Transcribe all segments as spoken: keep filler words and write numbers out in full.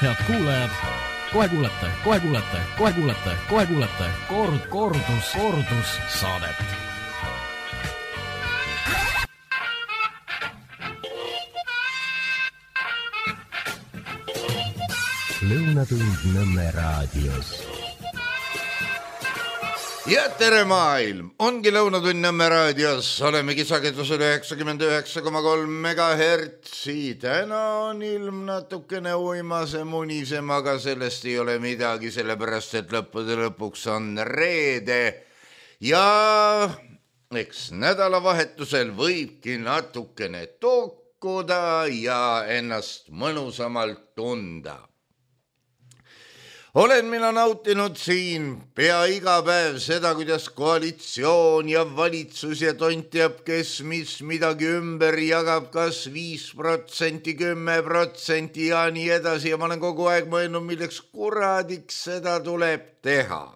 Head kuulajad, kohe kuulete, kohe kuulete, kohe kuulete, kohe kuulete kord, kordus, kordus saadet. Lõunatund Nõmme raadios. Ja tere maailm, ongi Lõunatund Nõmme raadios, oleme kisakedusel üheksakümmend üheksa koma kolm megahertsi. Täna on ilm natukene uimase munisem, aga sellest ei ole midagi, sellepärast et lõppude lõpuks on reede. Ja eks nädalavahetusel võibki natukene tokkuda ja ennast mõnusamalt tunda. Olen mina nautinud siin pea iga päev seda, kuidas koalitsioon ja valitsus ja tont teab, kes mis midagi ümber jagab, kas viis protsenti, kümme protsenti ja nii edasi. Ja ma olen kogu aeg mõelnud, milleks kuradiks seda tuleb teha.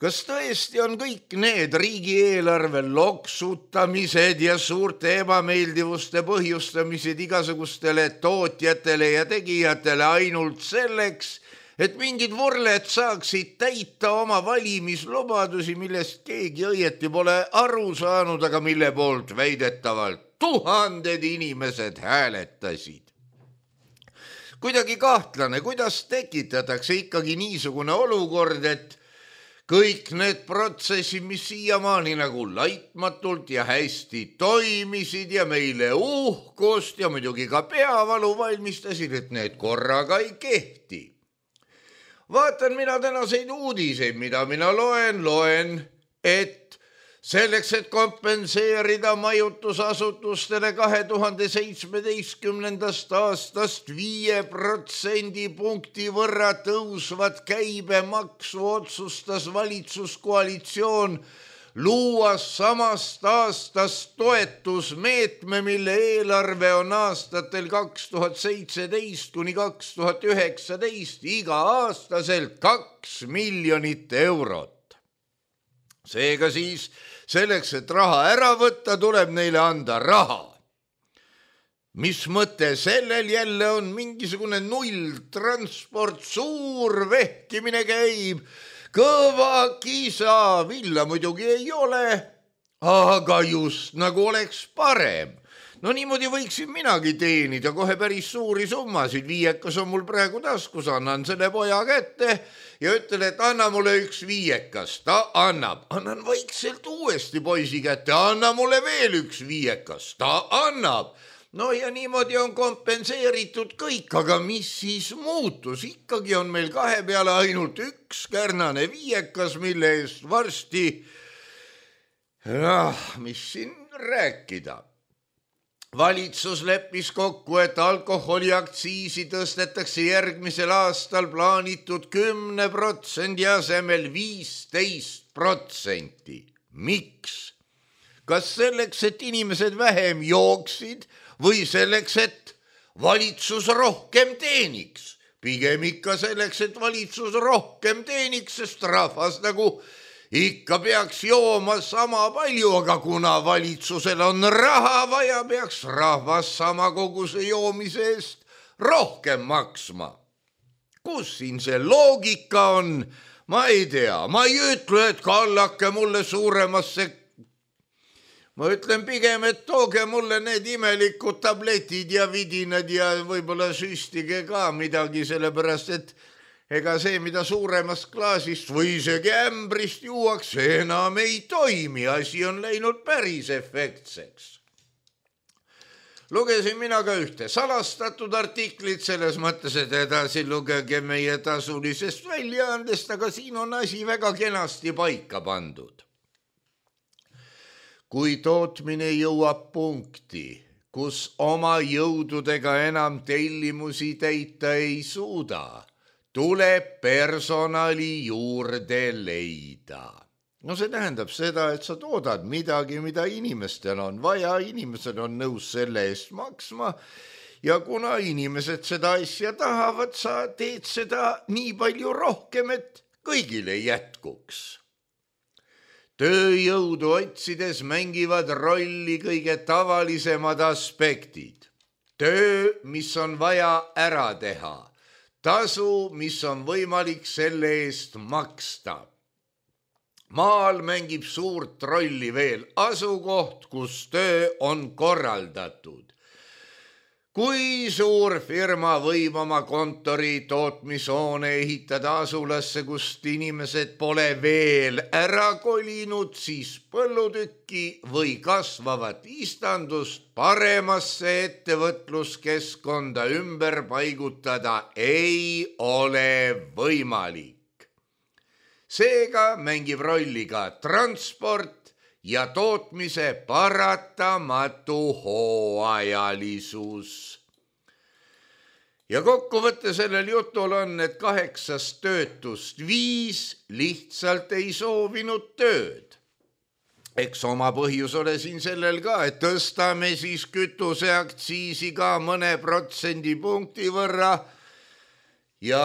Kas tõesti on kõik need riigieelarve loksutamised ja suurte ebameeldivuste põhjustamised igasugustele tootjatele ja tegijatele ainult selleks, et mingid vorled saaksid täita oma valimislubadusi, millest keegi õieti pole aru saanud, aga mille poolt väidetavalt tuhanded inimesed hääletasid. Kuidagi kahtlane, kuidas tekitatakse ikkagi niisugune olukord, et kõik need protsessid, mis siiamaani nagu laitmatult ja hästi toimisid ja meile uhkust ja muidugi ka peavalu valmistasid, et need korraga ei kehti. Vaatan mina tänaseid uudiseid, mida mina loen, loen, et selleks, et kompenseerida majutusasutustele kahe tuhande seitsmeteistkümnendast aastast viie protsendi punkti võrra tõusvat käibemaksu otsustas valitsuskoalitsioon luua samast aastast toetusmeetme, mille eelarve on aastatel kaks tuhat seitseteist kuni kaks tuhat üheksateist iga aastaselt kaks miljonit eurot. Seega siis selleks, et raha ära võtta, tuleb neile anda raha. Mis mõte sellel jälle on? Mingisugune nulltransport, suur vehkimine käib, kõva kisa, villa muidugi ei ole, aga just nagu oleks parem. No niimoodi võiksin minagi teenida kohe päris suuri summasid. Viiekas on mul praegu taskus, annan selle poja kätte ja ütlen, et anna mulle üks viiekas. Ta annab, annan vaikselt uuesti poisi kätte, anna mulle veel üks viiekas. Ta annab. No ja niimoodi on kompenseeritud kõik, aga mis siis muutus? Ikkagi on meil kahe peale ainult üks kärnane viiekas, mille eest varsti, ah, mis siin rääkida. Valitsus leppis kokku, et alkoholiaktsiisi tõstetakse järgmisel aastal plaanitud kümne protsendi asemel viisteist protsenti. Miks? Kas selleks, et inimesed vähem jooksid või selleks, et valitsus rohkem teeniks? Pigem ikka selleks, et valitsus rohkem teeniks, sest rahvas nagu ikka peaks jooma sama palju, aga kuna valitsusel on raha vaja, peaks rahvas sama koguse joomise eest rohkem maksma. Kus siin see loogika on? Ma ei tea, ma ei ütle, et kallake mulle suuremasse. Ma ütlen pigem, et tooge mulle need imelikud tabletid ja vidinad ja võib-olla süstige ka midagi, sellepärast et ega see, mida suuremast klaasist või isegi ämbrist juuakse, enam ei toimi. Asi on läinud päris efektseks. Lugesin mina ka ühte salastatud artiklit selles mõttes, et edasi lugege meie tasulisest väljaandest, aga siin on asi väga kenasti paika pandud. Kui tootmine jõuab punkti, kus oma jõududega enam tellimusi täita ei suuda, tuleb personali juurde leida. No see tähendab seda, et sa toodad midagi, mida inimestel on vaja, inimesed on nõus selle eest maksma ja kuna inimesed seda asja tahavad, sa teed seda nii palju rohkem, et kõigile jätkuks. Tööjõudu otsides mängivad rolli kõige tavalisemad aspektid. töö, mis on vaja ära teha, tasu, mis on võimalik selle eest maksta. Maal mängib suurt rolli veel asukoht, kus töö on korraldatud. Kui suur firma võib oma kontori tootmishoone ehitada asulasse, kust inimesed pole veel ära kolinud, siis põllutükki või kasvavat istandust paremasse ettevõtluskeskkonda ümber paigutada ei ole võimalik. Seega mängib rolli ka transport ja tootmise paratamatu hooajalisus. Ja kokkuvõte sellel jutul on, et kaheksast töötust viis lihtsalt ei soovinud tööd. Eks oma põhjus ole siin sellel ka, et tõstame siis kütuseaktsiisi ka mõne protsendipunkti võrra ja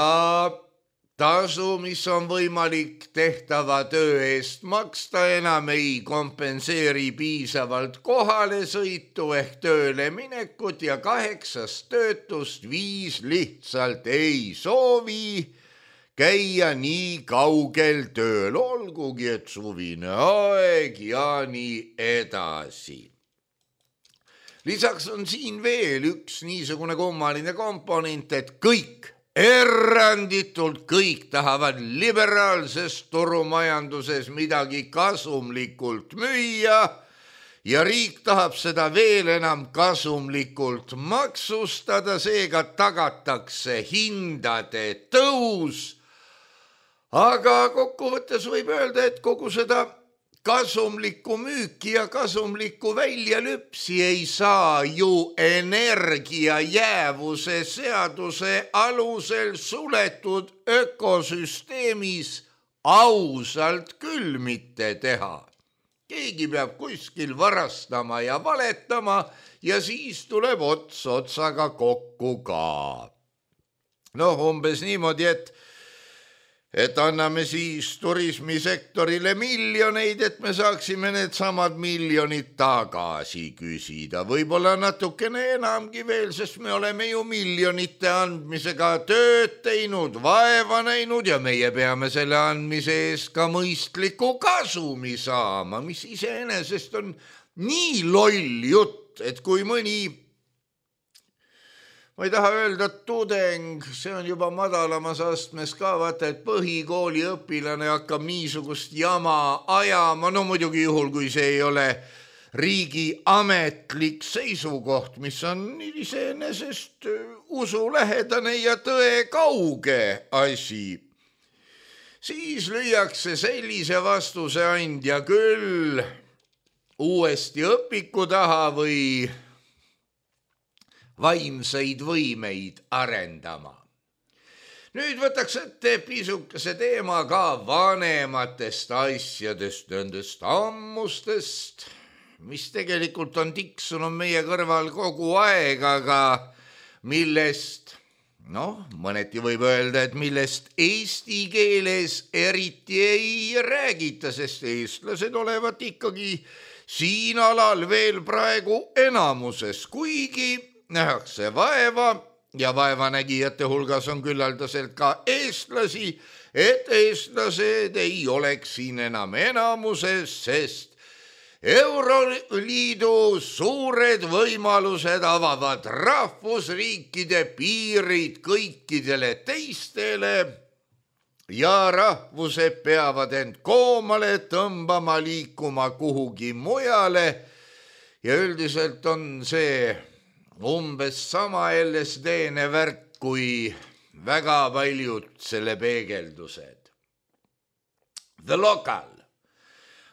tasu, mis on võimalik tehtava töö eest maksta, enam ei kompenseeri piisavalt kohale sõitu ehk tööle minekut ja kaheksast töötust viis lihtsalt ei soovi käia nii kaugel tööl, olgugi et suvine aeg ja nii edasi. Lisaks on siin veel üks niisugune kummaline komponent, et kõik eranditult kõik tahavad liberaalses turumajanduses midagi kasumlikult müüa ja riik tahab seda veel enam kasumlikult maksustada, seega tagatakse hindade tõus. Aga kokkuvõttes võib öelda, et kogu seda kasumlikku müüki ja kasumlikku väljalüpsi ei saa ju energia jäävuse seaduse alusel suletud ökosüsteemis ausalt küll mitte teha. Keegi peab kuskil varastama ja valetama ja siis tuleb ots otsaga kokku ka. Noh, umbes niimoodi, et et anname siis turismisektorile miljoneid, et me saaksime need samad miljonid tagasi küsida. Võib-olla natukene enamgi veel, sest me oleme ju miljonite andmisega tööd teinud, vaeva näinud ja meie peame selle andmise eest ka mõistliku kasumi saama, mis iseenesest on nii loll jutt, et kui mõni, ma ei taha öelda tudeng, see on juba madalamas astmes ka, vaata, et põhikooli õpilane hakkab niisugust jama ajama, no muidugi juhul, kui see ei ole riigi ametlik seisukoht, mis on iseenesest usulähedane ja tõe kauge asi. Siis lüüakse sellise vastuse andja küll uuesti õpiku taha või vaimseid võimeid arendama. Nüüd võtaks ette pisukese teema ka vanematest asjadest, nendest ammustest, mis tegelikult on tiksunud meie kõrval kogu aeg, aga millest, noh, mõneti võib öelda, et millest eesti keeles eriti ei räägita, sest eestlased olevat ikkagi siin alal veel praegu enamuses, kuigi nähakse vaeva ja vaevanägijate hulgas on küllaldaselt ka eestlasi, et eestlased ei oleks siin enam enamuses, sest Euroliidu suured võimalused avavad rahvusriikide piirid kõikidele teistele ja rahvused peavad end koomale tõmbama, liikuma kuhugi mujale ja üldiselt on see umbes sama L S D-ne värk kui väga paljud selle peegeldused. The Local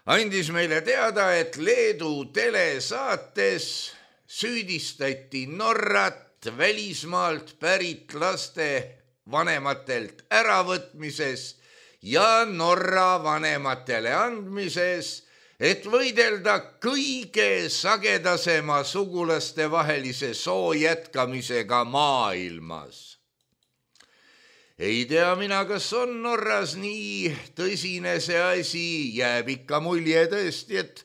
andis meile teada, et Leedu telesaates süüdistati Norrat välismaalt pärit laste vanematelt äravõtmises ja Norra vanematele andmises, et võidelda kõige sagedasema sugulaste vahelise soo jätkamisega maailmas. Ei tea mina, kas on Norras nii tõsine see asi, jääb ikka mulje tõesti, et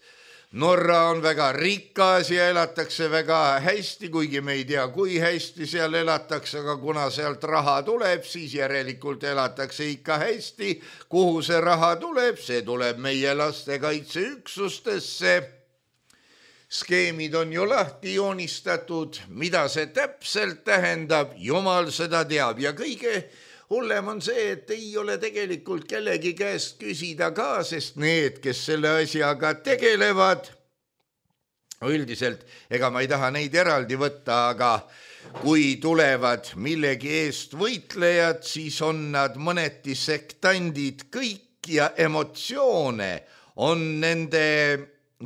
Norra on väga rikas ja elatakse väga hästi, kuigi me ei tea, kui hästi seal elatakse, aga kuna sealt raha tuleb, siis järelikult elatakse ikka hästi. Kuhu see raha tuleb? See tuleb meie lastekaitseüksustesse. Skeemid on ju lahti joonistatud, mida see täpselt tähendab, jumal seda teab ja kõige hullem on see, et ei ole tegelikult kellegi käest küsida ka, sest need, kes selle asjaga tegelevad, üldiselt, ega ma ei taha neid eraldi võtta, aga kui tulevad millegi eest võitlejad, siis on nad mõneti sektandid kõik ja emotsioone on nende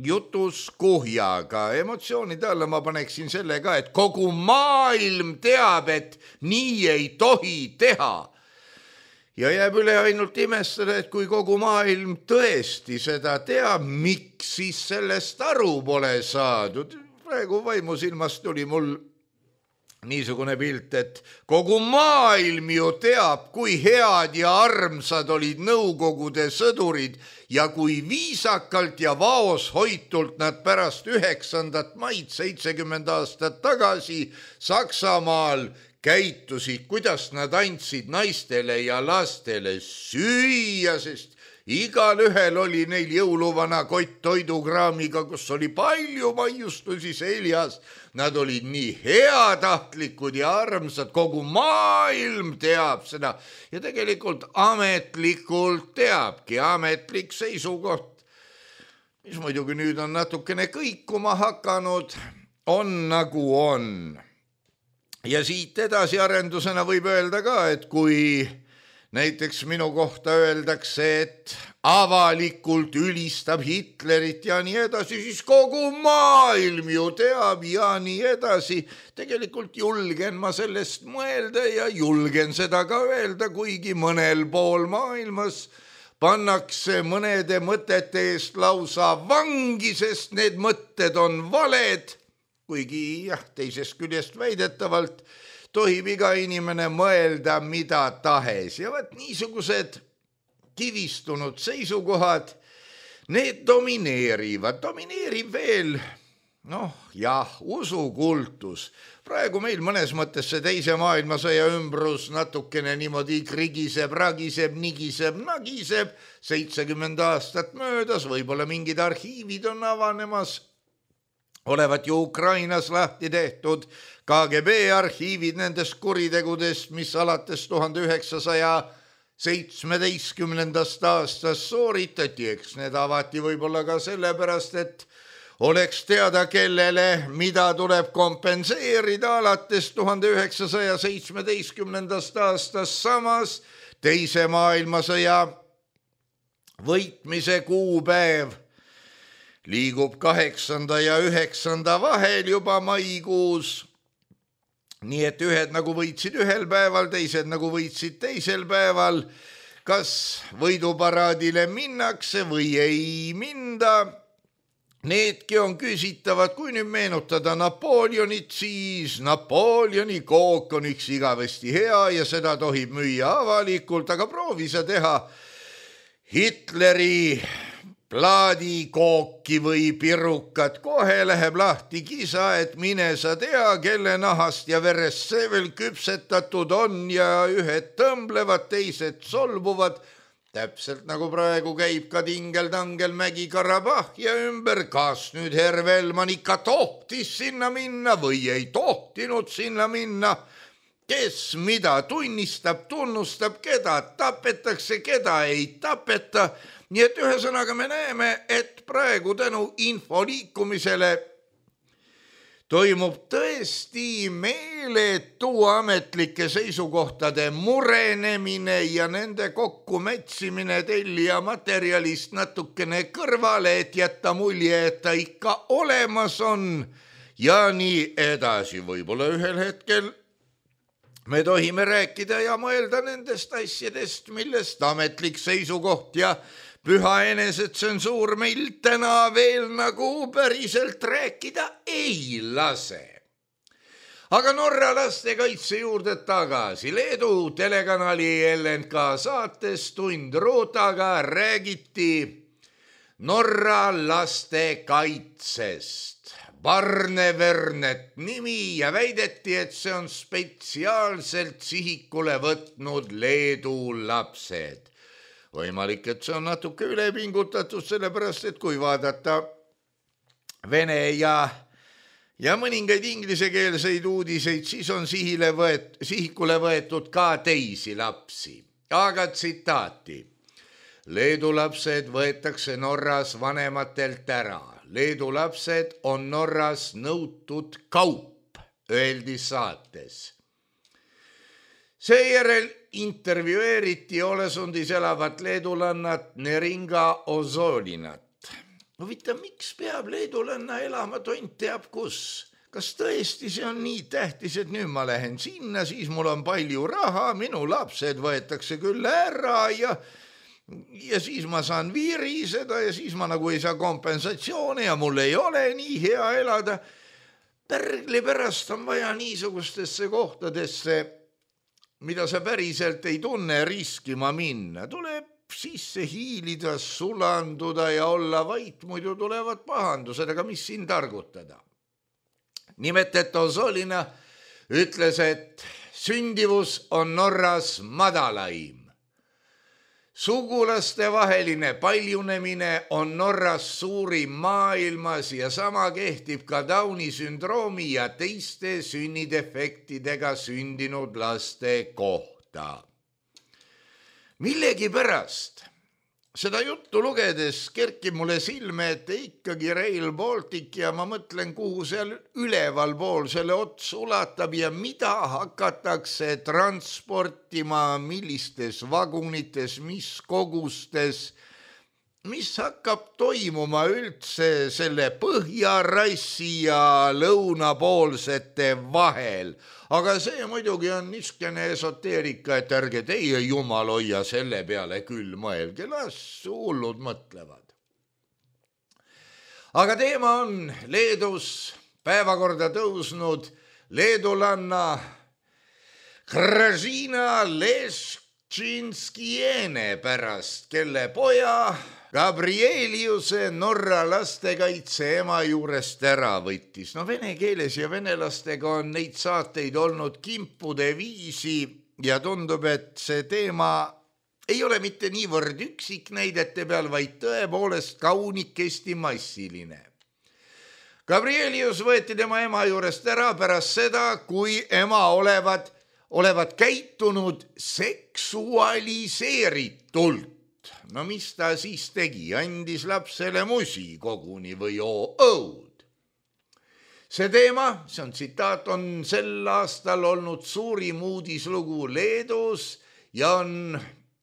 jutus kuhjaga. Emotsioonide alla ma paneksin selle ka, et kogu maailm teab, et nii ei tohi teha. Ja jääb üle ainult imestada, et kui kogu maailm tõesti seda teab, miks siis sellest aru pole saadud. Praegu vaimusilmast tuli mul niisugune pilt, et kogu maailm ju teab, kui head ja armsad olid Nõukogude sõdurid ja kui viisakalt ja vaoshoitult nad pärast üheksandat maid seitsekümmend aastat tagasi Saksamaal käitusid, kuidas nad andsid naistele ja lastele süüa, sest igal ühel oli neil jõuluvana kott toidukraamiga, kus oli palju maiustusi seljas. Nad olid nii heatahtlikud ja armsad, kogu maailm teab seda ja tegelikult ametlikult teabki, ametlik seisukoht, mis muidugi nüüd on natukene kõikuma hakanud, on nagu on. Ja siit edasi arendusena võib öelda ka, et kui näiteks minu kohta öeldakse, et avalikult ülistab Hitlerit ja nii edasi, siis kogu maailm ju teab ja nii edasi. Tegelikult julgen ma sellest mõelda ja julgen seda ka öelda, kuigi mõnel pool maailmas pannakse mõnede mõtete eest lausa vangi, sest need mõtted on valed. Kuigi jah, teisest küljest väidetavalt tohib iga inimene mõelda mida tahes ja võt niisugused kivistunud seisukohad, need domineerivad, domineerib veel, noh jah, usukultus. Praegu meil mõnes mõttes see teise maailmasõja ümbrus natukene niimoodi krigiseb, ragiseb, nigiseb, nagiseb, seitsekümmend aastat möödas, võib-olla mingid arhiivid on avanemas. Olevat ju Ukrainas lahti tehtud K G B arhiivid nendest kuritegudest, mis alates tuhande üheksasaja seitsmeteistkümnendast aastast sooritati, eks need avati võib-olla ka sellepärast, et oleks teada, kellele mida tuleb kompenseerida alates tuhande üheksasaja seitsmeteistkümnendast aastast. Samas teise maailmasõja võitmise kuupäev liigub kaheksanda ja üheksanda vahel juba maikuus. Nii et ühed nagu võitsid ühel päeval, teised nagu võitsid teisel päeval. Kas võiduparaadile minnakse või ei minda? Needki on küsitavad, kui nüüd meenutada Napoleonit, siis Napoleoni kook on üks igavesti hea ja seda tohib müüa avalikult, aga proovi sa teha Hitleri plaadikooki või pirukat, kohe läheb lahti kisa, et mine sa tea, kelle nahast ja verest see veel küpsetatud on ja ühed tõmblevad, teised solvuvad. Täpselt nagu praegu käib ka Tingel-Tangel Mägi-Karabah ja ümber, kas nüüd Hervelman ikka tohtis sinna minna või ei tohtinud sinna minna. Kes mida tunnistab, tunnustab, keda tapetakse, keda ei tapeta. Nii et ühesõnaga me näeme, et praegu tänu info liikumisele toimub tõesti meeletu ametlike seisukohtade murenemine ja nende kokkumätsimine tellija materjalist natukene kõrvale, et jätta mulje, et ta ikka olemas on ja nii edasi. Võib-olla ühel hetkel me tohime rääkida ja mõelda nendest asjadest, millest ametlik seisukoht ja püha enesetsensuur meil täna veel nagu päriselt rääkida ei lase. Aga Norra lastekaitse juurde tagasi. Leedu telekanali L N K saates Tund Rootaga räägiti Norra lastekaitsest. Barne Vernet nimi ja väideti, et see on spetsiaalselt sihikule võtnud Leedu lapsed. Võimalik, et see on natuke ülepingutatud, sellepärast, et kui vaadata vene ja, ja mõningaid inglisekeelseid uudiseid, siis on sihile võet, sihikule võetud ka teisi lapsi. Aga tsitaati. Leedu lapsed võetakse Norras vanematelt ära. Leedu lapsed on Norras nõutud kaup, öeldi saates. Seejärel intervjueeriti Olesundis elavat leedulannat Neringa Ozolinat. Huvita, miks peab leedulanna elama tont teab kus? Kas tõesti see on nii tähtis, et nüüd ma lähen sinna, siis mul on palju raha, minu lapsed võetakse küll ära ja... ja siis ma saan viiriseda ja siis ma nagu ei saa kompensatsioone ja mul ei ole nii hea elada. Pärgli pärast on vaja niisugustesse kohtadesse, mida sa päriselt ei tunne, riskima minna. Tuleb sisse hiilida, sulanduda ja olla vait, muidu tulevad pahandused, aga mis siin targutada? Nimelt, et Osolina ütles, et sündivus on Norras madalaim. Sugulaste vaheline paljunemine on Norras suurim maailmas ja sama kehtib ka Downi sündroomi ja teiste sünnidefektidega sündinud laste kohta. Millegi pärast seda juttu lugedes kerkib mulle silme, et ikkagi Rail Baltic ja ma mõtlen, kuhu seal üleval pool selle ots ulatab ja mida hakatakse transportima, millistes vagunites, mis kogustes, mis hakkab toimuma üldse selle põhjarassi ja lõunapoolsete vahel. Aga see muidugi on niskene esoteerika, et ärge teie jumal hoia selle peale küll mõelge, las hullud mõtlevad. Aga teema on Leedus päevakorda tõusnud leedulanna Gražina Leščinskiene pärast, kelle poja Gabrieliuse Norra lastekaitse ema juurest ära võttis. No vene keeles ja venelastega on neid saateid olnud kimpude viisi ja tundub, et see teema ei ole mitte niivõrd üksiknäidete peal, vaid tõepoolest kaunikesti massiline. Gabrielius võeti tema ema juurest ära pärast seda, kui ema olevat, olevat käitunud seksualiseeritult. No mis ta siis tegi? Andis lapsele musi koguni või õud. See teema, see on tsitaat, on sel aastal olnud suurim uudislugu Leedus ja on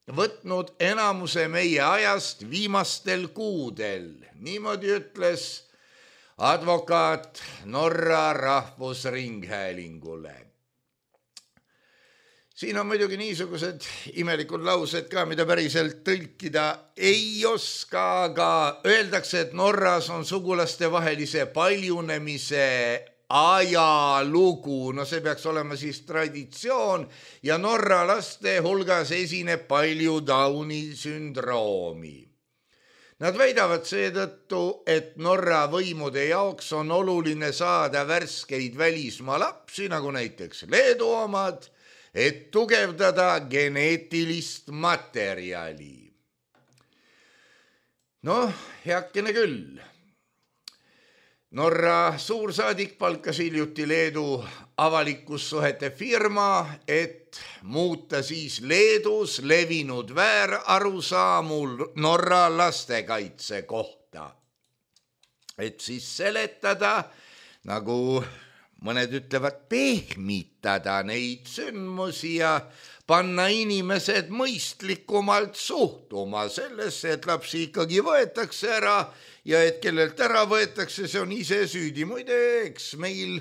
võtnud enamuse meie ajast viimastel kuudel. Niimoodi ütles advokaat Norra Rahvusringhäälingule. Siin on muidugi niisugused imelikud laused ka, mida päriselt tõlkida ei oska, aga öeldakse, et Norras on sugulaste vahelise paljunemise ajalugu. No see peaks olema siis traditsioon ja Norra laste hulgas esineb palju Downi sündroomi. Nad väidavad seetõttu, et Norra võimude jaoks on oluline saada värskeid välismaa lapsi, nagu näiteks Leedu omad, et tugevdada geneetilist materjali. Noh, heakene küll. Norra suursaadik palkas hiljuti Leedu avalikkussuhete firma, et muuta siis Leedus levinud väärarusaamul Norra lastekaitse kohta. Et siis seletada, nagu mõned ütlevad, pehmitada neid sündmusi ja panna inimesed mõistlikumalt suhtuma sellesse, et lapsi ikkagi võetakse ära ja et kellelt ära võetakse, see on ise süüdi. Muide, eks meil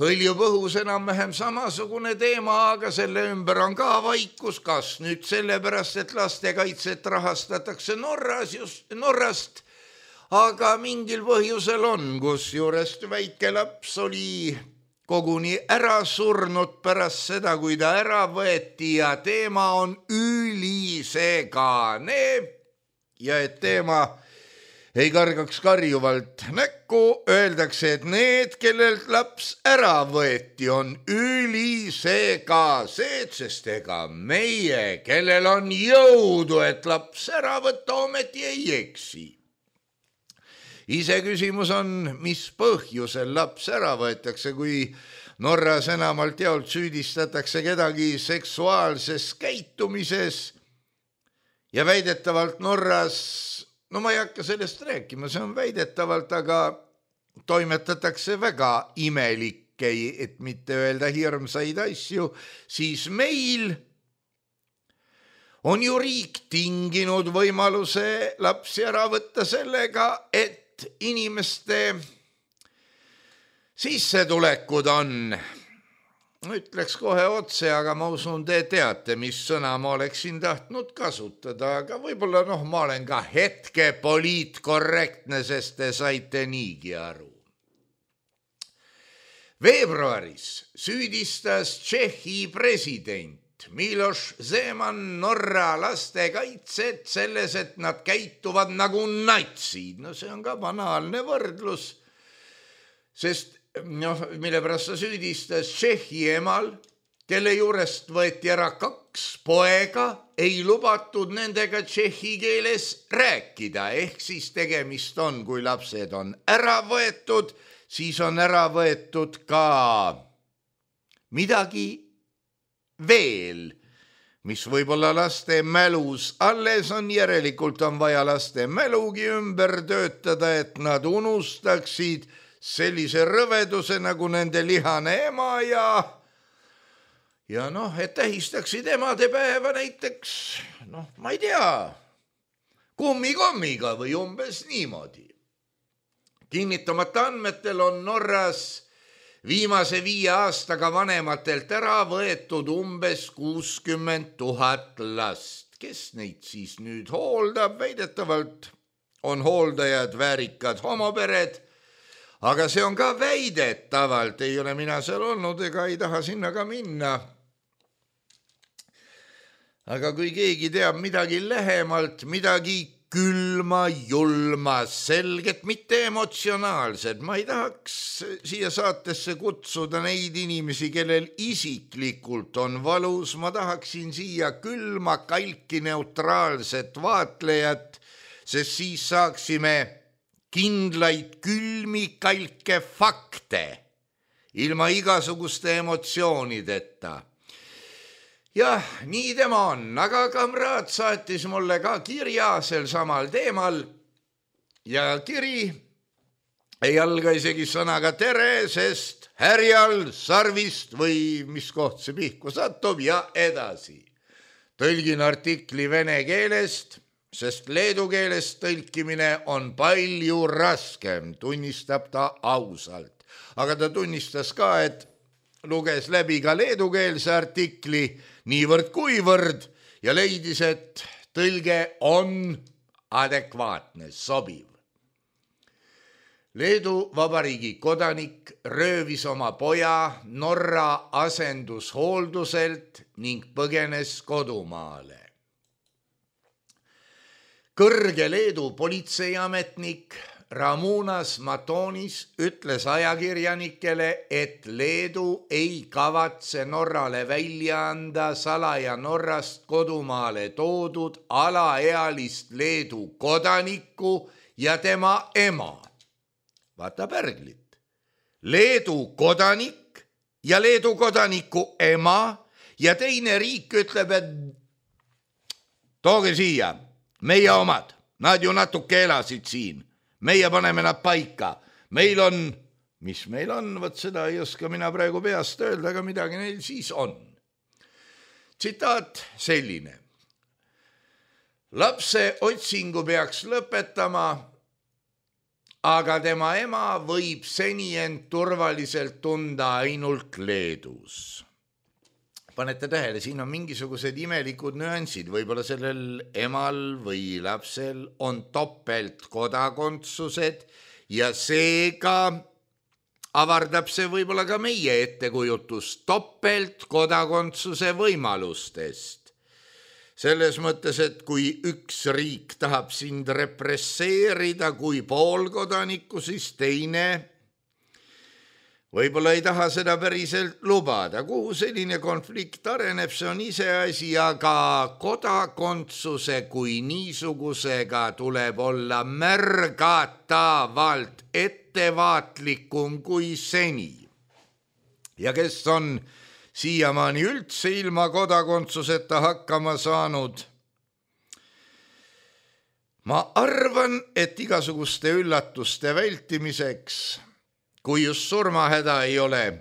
hõljub õhus enam-vähem samasugune teema, aga selle ümber on ka vaikus, kas nüüd sellepärast, et lastekaitset rahastatakse Norras just, Norrast, aga mingil põhjusel on, kus juurest väike laps oli koguni ära surnud pärast seda, kui ta ära võeti ja teema on ülisegane ja et teema ei kargaks karjuvalt näkku, öeldakse, et need, kellelt laps ära võeti, on ülisegased, sest ega meie, kellel on jõudu, et laps ära võtta, ometi ei eksi. Iseküsimus on, mis põhjusel laps ära võetakse, kui Norras enamalt jaolt süüdistatakse kedagi seksuaalses käitumises ja väidetavalt Norras, no ma ei hakka sellest rääkima, see on väidetavalt, aga toimetatakse väga imelikke, et mitte öelda hirmsaid asju, siis meil on ju riik tinginud võimaluse lapsi ära võtta sellega, et inimeste sissetulekud on, ütleks kohe otse, aga ma usun, te teate, mis sõna ma oleksin tahtnud kasutada, aga võib-olla noh, ma olen ka hetke poliitkorrektne, sest te saite niigi aru. Veebruaris süüdistas Tšehhi president Miloš Zeman Norra lastekaitset selles, et nad käituvad nagu natsid. No see on ka banaalne võrdlus, sest noh, mille pärast sa süüdistas Tšehhi emal, kelle juurest võeti ära kaks poega, ei lubatud nendega tšehhi keeles rääkida, ehk siis tegemist on, kui lapsed on ära võetud, siis on ära võetud ka midagi veel, mis võib-olla laste mälus alles on, järelikult on vaja laste mälugi ümber töötada, et nad unustaksid sellise rõveduse nagu nende lihane ema ja ja noh, et tähistaksid emadepäeva näiteks, noh, ma ei tea, kummikommiga või umbes niimoodi. Kinnitamata andmetel on Norras viimase viie aastaga vanematelt ära võetud umbes kuuskümmend tuhat last. Kes neid siis nüüd hooldab? Väidetavalt on hooldajad väärikad homopered, aga see on ka väidetavalt, ei ole mina seal olnud ega ei taha sinna ka minna. Aga kui keegi teab midagi lähemalt, midagi külma, julma, selget, mitte emotsionaalset, ma ei tahaks siia saatesse kutsuda neid inimesi, kellel isiklikult on valus, ma tahaksin siia külma, kalki, neutraalset vaatlejat, sest siis saaksime kindlaid külmi kalke fakte ilma igasuguste emotsioonideta. Jah, nii tema on, aga kamraad saatis mulle ka kirja sel samal teemal ja kiri ei alga isegi sõnaga tere, sest härjal sarvist või mis koht see pihku satub ja edasi. Tõlgin artikli vene keelest, sest leedu keelest tõlkimine on palju raskem, tunnistab ta ausalt. Aga ta tunnistas ka, et luges läbi ka leedukeelse artikli niivõrd kuivõrd ja leidis, et tõlge on adekvaatne, sobiv. Leedu Vabariigi kodanik röövis oma poja Norra asendushoolduselt ning põgenes kodumaale. Kõrge Leedu politseiametnik Ramūnas Matonis ütles ajakirjanikele, et Leedu ei kavatse Norrale välja anda salaja Norrast kodumaale toodud alaealist Leedu kodanikku ja tema ema. Vaata pärglit. Leedu kodanik ja Leedu kodaniku ema ja teine riik ütleb, et tooge siia. Meie omad, nad ju natuke elasid siin, meie paneme nad paika, meil on, mis meil on, võt seda ei oska mina praegu peast öelda, aga midagi neil siis on. Tsitaat selline. Lapse otsingu peaks lõpetama, aga tema ema võib seni end turvaliselt tunda ainult Leedus. Panete tähele, siin on mingisugused imelikud nüansid, võib-olla sellel emal või lapsel on topelt kodakondsused ja seega avardab see võib-olla ka meie ettekujutus topelt kodakondsuse võimalustest. selles mõttes, et kui üks riik tahab sind represseerida kui poolkodanikku, siis teine võib-olla ei taha seda päriselt lubada. Kuhu selline konflikt areneb, see on iseasi, aga kodakondsuse kui niisugusega tuleb olla märgatavalt ettevaatlikum kui seni. Ja kes on siiamaani üldse ilma kodakondsuseta hakkama saanud? Ma arvan, et igasuguste üllatuste vältimiseks, kui just surmahäda ei ole,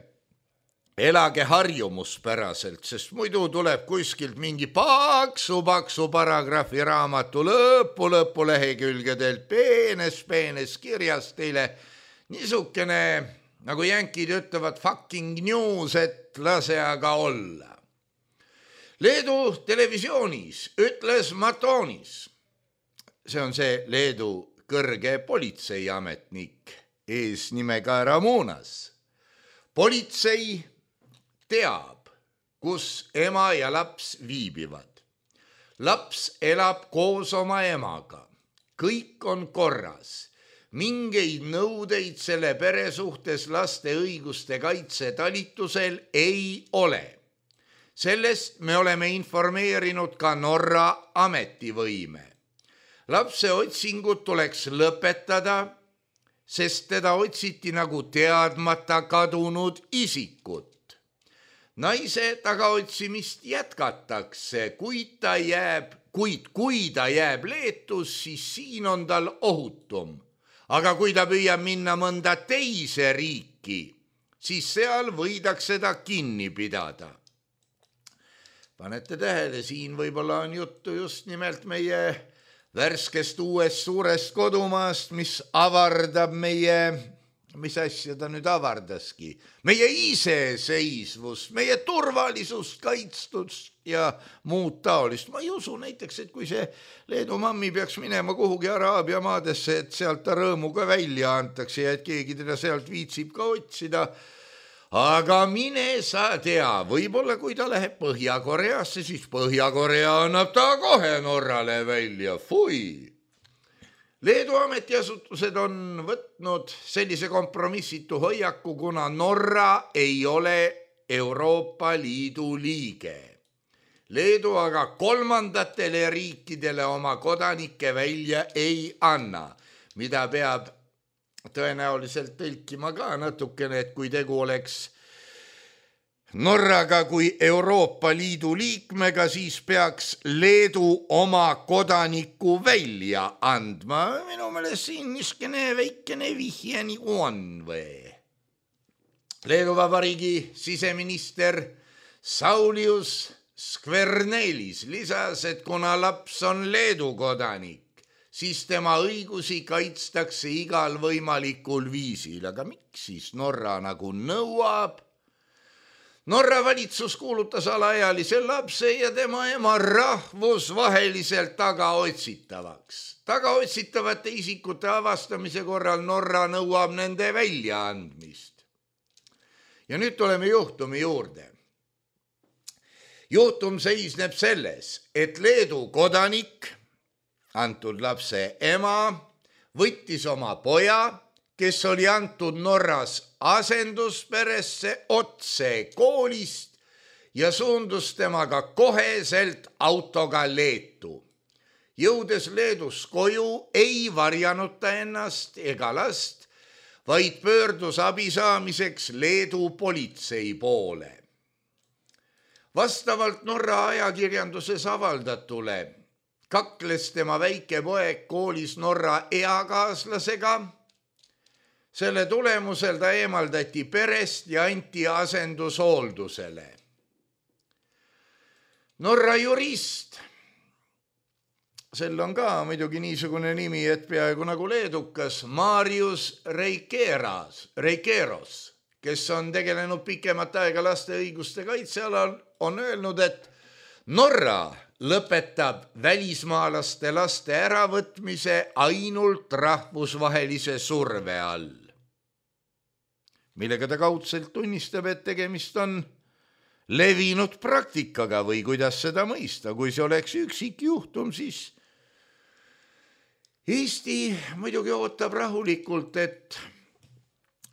elage harjumuspäraselt, sest muidu tuleb kuskilt mingi paksu-paksu paragrahvi raamatu lõpu, lõpu lehekülgedelt peenes-peenes kirjas teile niisugune, nagu jänkid ütlevad, fucking news, et lase aga olla. Leedu televisioonis ütles Matonis, see on see Leedu kõrge politseiametnik eesnimega Ramunas. Politsei teab, kus ema ja laps viibivad. Laps elab koos oma emaga. Kõik on korras. Mingeid nõudeid selle pere suhtes laste õiguste kaitse talitusel ei ole. Sellest me oleme informeerinud ka Norra ametivõime. Lapse otsingud tuleks lõpetada, sest teda otsiti nagu teadmata kadunud isikut. Naise tagaotsimist jätkatakse, kuid ta jääb, kuid kui ta jääb Leetus, siis siin on tal ohutum. Aga kui ta püüab minna mõnda teise riiki, siis seal võidakse ta kinni pidada. Panete tähele, siin võib-olla on juttu just nimelt meie värskest uuest suurest kodumaast, mis avardab meie, mis asja ta nüüd avardaski, meie iseseisvust, meie turvalisust, kaitstust ja muud taolist. Ma ei usu näiteks, et kui see Leedu mammi peaks minema kuhugi Araabia maadesse, et sealt ta rõõmuga välja antakse ja et keegi teda sealt viitsib ka otsida. Aga mine sa tea, võib-olla kui ta läheb Põhja-Koreasse, siis Põhja-Korea annab ta kohe Norrale välja. Fui! Leedu ametiasutused on võtnud sellise kompromissitu hoiaku, kuna Norra ei ole Euroopa Liidu liige. Leedu aga kolmandatele riikidele oma kodanikke välja ei anna, mida peab tõenäoliselt tõlkima ka natukene, et kui tegu oleks Norraga kui Euroopa Liidu liikmega, siis peaks Leedu oma kodaniku välja andma. Minu meelest siin niskene väikene vihje nagu on või. Leedu Vabariigi siseminister Saulius Skvernelis lisas, et kuna laps on Leedu kodanik, siis tema õigusi kaitstakse igal võimalikul viisil. Aga miks siis Norra nagu nõuab? Norra valitsus kuulutas alaealise lapse ja tema ema rahvusvaheliselt tagaotsitavaks. Tagaotsitavate isikute avastamise korral Norra nõuab nende väljaandmist. Ja nüüd tuleme juhtumi juurde. Juhtum seisneb selles, et Leedu kodanik, antud lapse ema, võttis oma poja, kes oli antud Norras asendusperesse otse koolist ja suundus temaga koheselt autoga Leetu. Jõudes Leedus koju ei varjanud ta ennast ega last, vaid pöördus abi saamiseks Leedu politsei poole. Vastavalt Norra ajakirjanduses avaldatule kakles tema väike poeg koolis Norra eakaaslasega. Selle tulemusel ta eemaldati perest ja anti asendushooldusele. Norra jurist, sel on ka muidugi niisugune nimi, et peaaegu nagu leedukas, Marius Reikeras, Reikeros, kes on tegelenud pikemat aega laste õiguste kaitsealal, on öelnud, et Norra lõpetab välismaalaste laste äravõtmise ainult rahvusvahelise surve all, millega ta kaudselt tunnistab, et tegemist on levinud praktikaga või kuidas seda mõista. Kui see oleks üksik juhtum, siis Eesti muidugi ootab rahulikult, et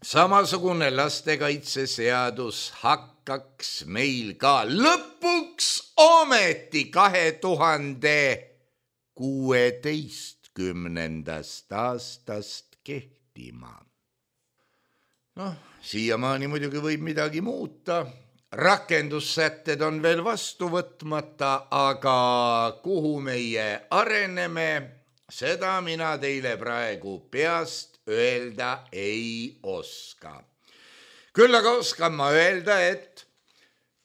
samasugune lastekaitseseadus hakkaks meil ka lõpuks ometi kahe tuhande kuueteistkümnendast aastast kehtima. Noh, siiamaani muidugi võib midagi muuta. Rakendussätted on veel vastu võtmata, aga kuhu meie areneme, seda mina teile praegu peast öelda ei oska. Küll aga oskan ma öelda, et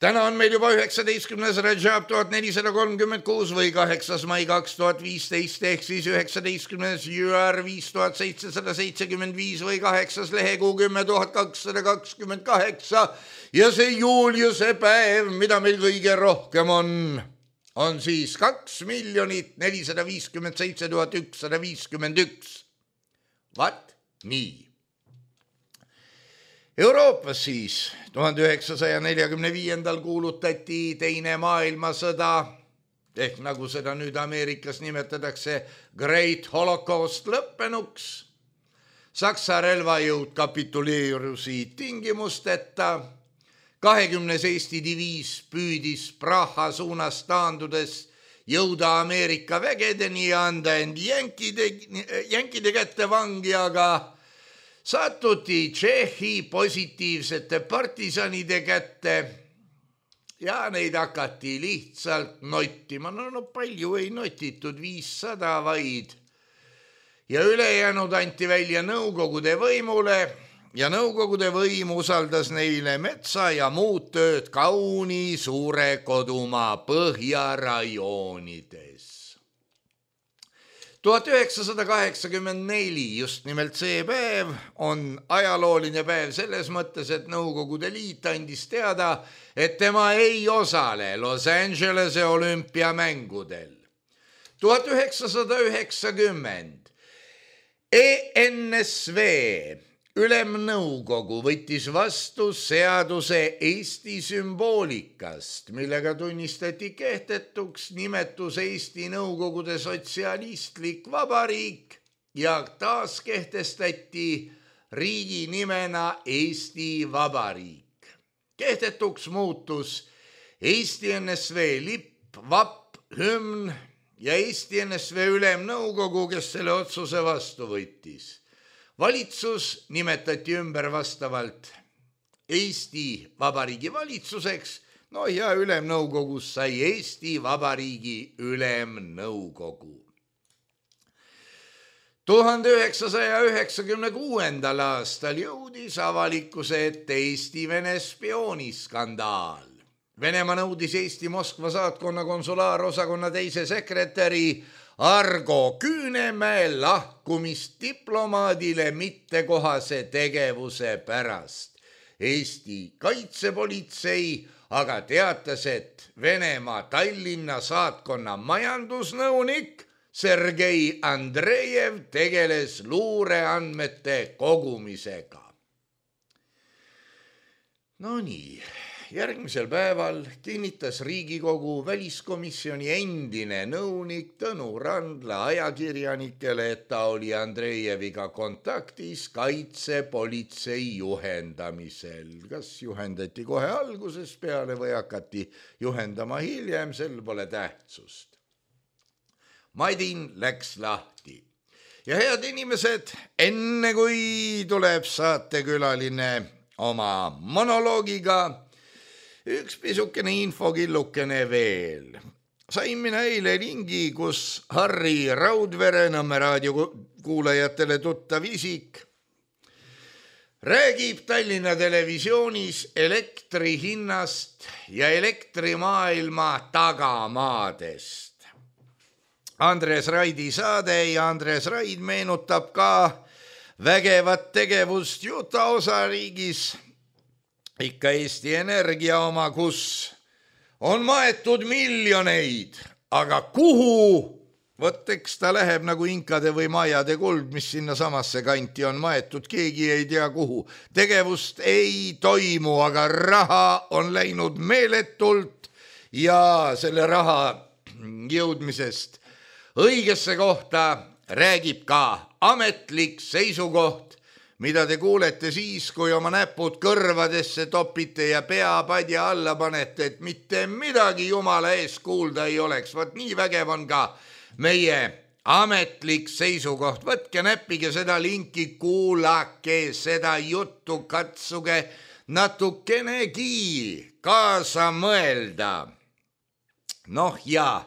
täna on meil juba üheksateistkümnes Rajab tuhat nelisada kolmkümmend kuus või kaheksas mai kaks tuhat viisteist ehk siis üheksateistkümnes Jüar viis tuhat seitsesada seitsekümmend viis või kaheksas lehekuu kümme tuhat kakssada kakskümmend kaheksa ja see Juliuse päev, mida meil kõige rohkem on, on siis kaks miljonit nelisada viiskümmend seitse tuhat ükssada viiskümmend üks. Vat nii. Euroopas siis tuhande üheksasaja neljakümne viiendal kuulutati teine maailmasõda, ehk nagu seda nüüd Ameerikas nimetatakse Great Holocaust lõppenuks. Saksa relvajõud kapituleerusid tingimusteta, kahekümnes Eesti diviis püüdis Praha suunas taandudes jõuda Ameerika vägedeni ja anda end jänkide, jänkide kätte vangi, aga satuti Tšehhi positiivsete partisanide kätte ja neid hakati lihtsalt nottima. No, no palju ei notitud, viissada vaid. Ja ülejäänud anti välja Nõukogude võimule ja Nõukogude võim usaldas neile metsa ja muud tööd kauni suure kodumaa põhjarajoonides. tuhat üheksasada kaheksakümmend neli, just nimelt see päev, on ajalooline päev selles mõttes, et Nõukogude Liit andis teada, et tema ei osale Los Angelese olümpiamängudel. tuhat üheksasada üheksakümmend E N S V Ülemnõukogu võttis vastu seaduse Eesti sümboolikast, millega tunnistati kehtetuks nimetus Eesti Nõukogude Sotsialistlik Vabariik ja taas kehtestati riigi nimena Eesti Vabariik. Kehtetuks muutus Eesti N S V lipp, vapp, hümn ja Eesti N S V Ülemnõukogu, kes selle otsuse vastu võttis. Valitsus nimetati ümber vastavalt Eesti Vabariigi valitsuseks, no ja Ülemnõukogus sai Eesti Vabariigi Ülemnõukogu. tuhande üheksasaja üheksakümne kuuendal aastal jõudis avalikkuse ette Eesti-Vene spiooniskandaal. Venemaa nõudis Eesti Moskva saatkonna konsulaarosakonna teise sekretäri Argo Küünemäe lahkumist diplomaadile mittekohase tegevuse pärast. Eesti kaitsepolitsei aga teatas, et Venemaa Tallinna saatkonna majandusnõunik Sergei Andrejev tegeles luureandmete kogumisega. No nii. Järgmisel päeval kinnitas Riigikogu väliskomisjoni endine nõunik Tõnu Randla ajakirjanikele, et ta oli Andrejeviga kontaktis kaitsepolitsei juhendamisel. Kas juhendati kohe alguses peale või hakati juhendama hiljem, sel pole tähtsust. Madin läks lahti. Ja head inimesed, enne kui tuleb saatekülaline oma monoloogiga, üks pisukene infokillukene veel. Sain mina eile lingi, kus Harri Raudvere, Nõmme raadio kuulajatele tuttav isik, räägib Tallinna televisioonis elektri hinnast ja elektrimaailma tagamaadest. Andres Raidi saade ja Andres Raid meenutab ka vägevat tegevust Utah osariigis, ikka Eesti Energia oma, kus on maetud miljoneid, aga kuhu Vot eks ta läheb nagu inkade või maiade kuld, mis sinna samasse kanti on maetud, keegi ei tea kuhu. Tegevust ei toimu, aga raha on läinud meeletult ja selle raha jõudmisest õigesse kohta räägib ka ametlik seisukoht, mida te kuulete siis, kui oma näpud kõrvadesse topite ja peapadja alla panete, et mitte midagi jumala ees kuulda ei oleks. Vot nii vägev on ka meie ametlik seisukoht. Võtke näppige seda linki, kuulake seda juttu, katsuge natukenegi kaasa mõelda. Noh ja,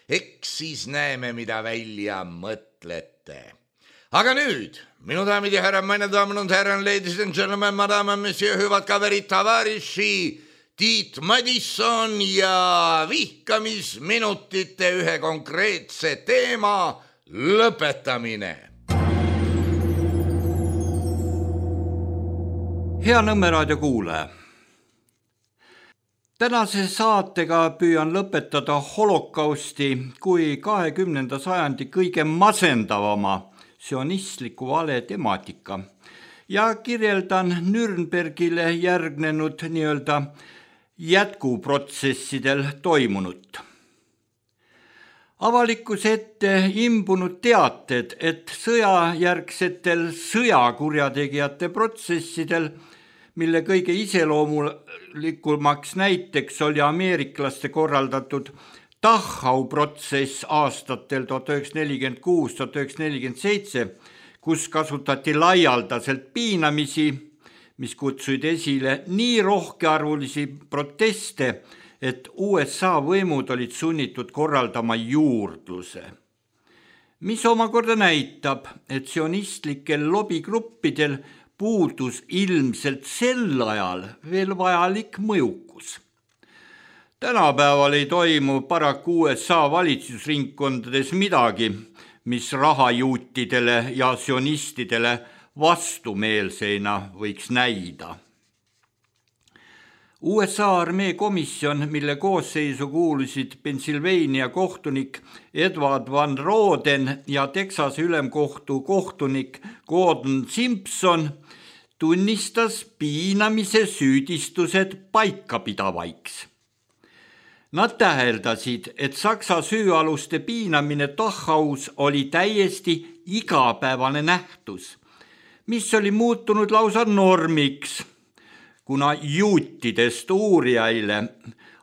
eks siis näeme, mida välja mõtlete. Aga nüüd, minu daamid ja härrad, meine damen und herren, ladies and gentlemen, madame, monsieur, hüvad kaverid, tavariši, Tiit Madisson ja vihkamisminutite ühe konkreetse teema lõpetamine. Hea Nõmme raadio kuulaja. Tänase saatega püüan lõpetada holokausti kui kahekümnenda sajandi kõige masendavama sionistliku vale temaatika ja kirjeldan Nürnbergile järgnenud nii-öelda jätkuprotsessidel toimunut. Avalikkuse ette imbunud teated, et sõjajärgsetel sõjakurjategijate protsessidel, mille kõige iseloomulikumaks näiteks oli ameeriklaste korraldatud Dachau protsess aastatel tuhat üheksasada nelikümmend kuus tuhat üheksasada nelikümmend seitse, kus kasutati laialdaselt piinamisi, mis kutsuid esile nii rohkearvulisi proteste, et U S A võimud olid sunnitud korraldama juurdluse. Mis omakorda näitab, et sionistlikel lobigruppidel puudus ilmselt sel ajal veel vajalik mõjukus. Tänapäeval ei toimu paraku U S A valitsusringkondades midagi, mis rahajuutidele ja sionistidele vastumeelseina võiks näida. U S A armee komisjon, mille koosseisu kuulusid Pennsylvania kohtunik Edward Van Roden ja Texase ülemkohtu kohtunik Gordon Simpson, tunnistas piinamise süüdistused paikapidavaiks. Nad täheldasid, et Saksa süüaluste piinamine Dachaus oli täiesti igapäevane nähtus, mis oli muutunud lausa normiks, kuna juutidest uurijaile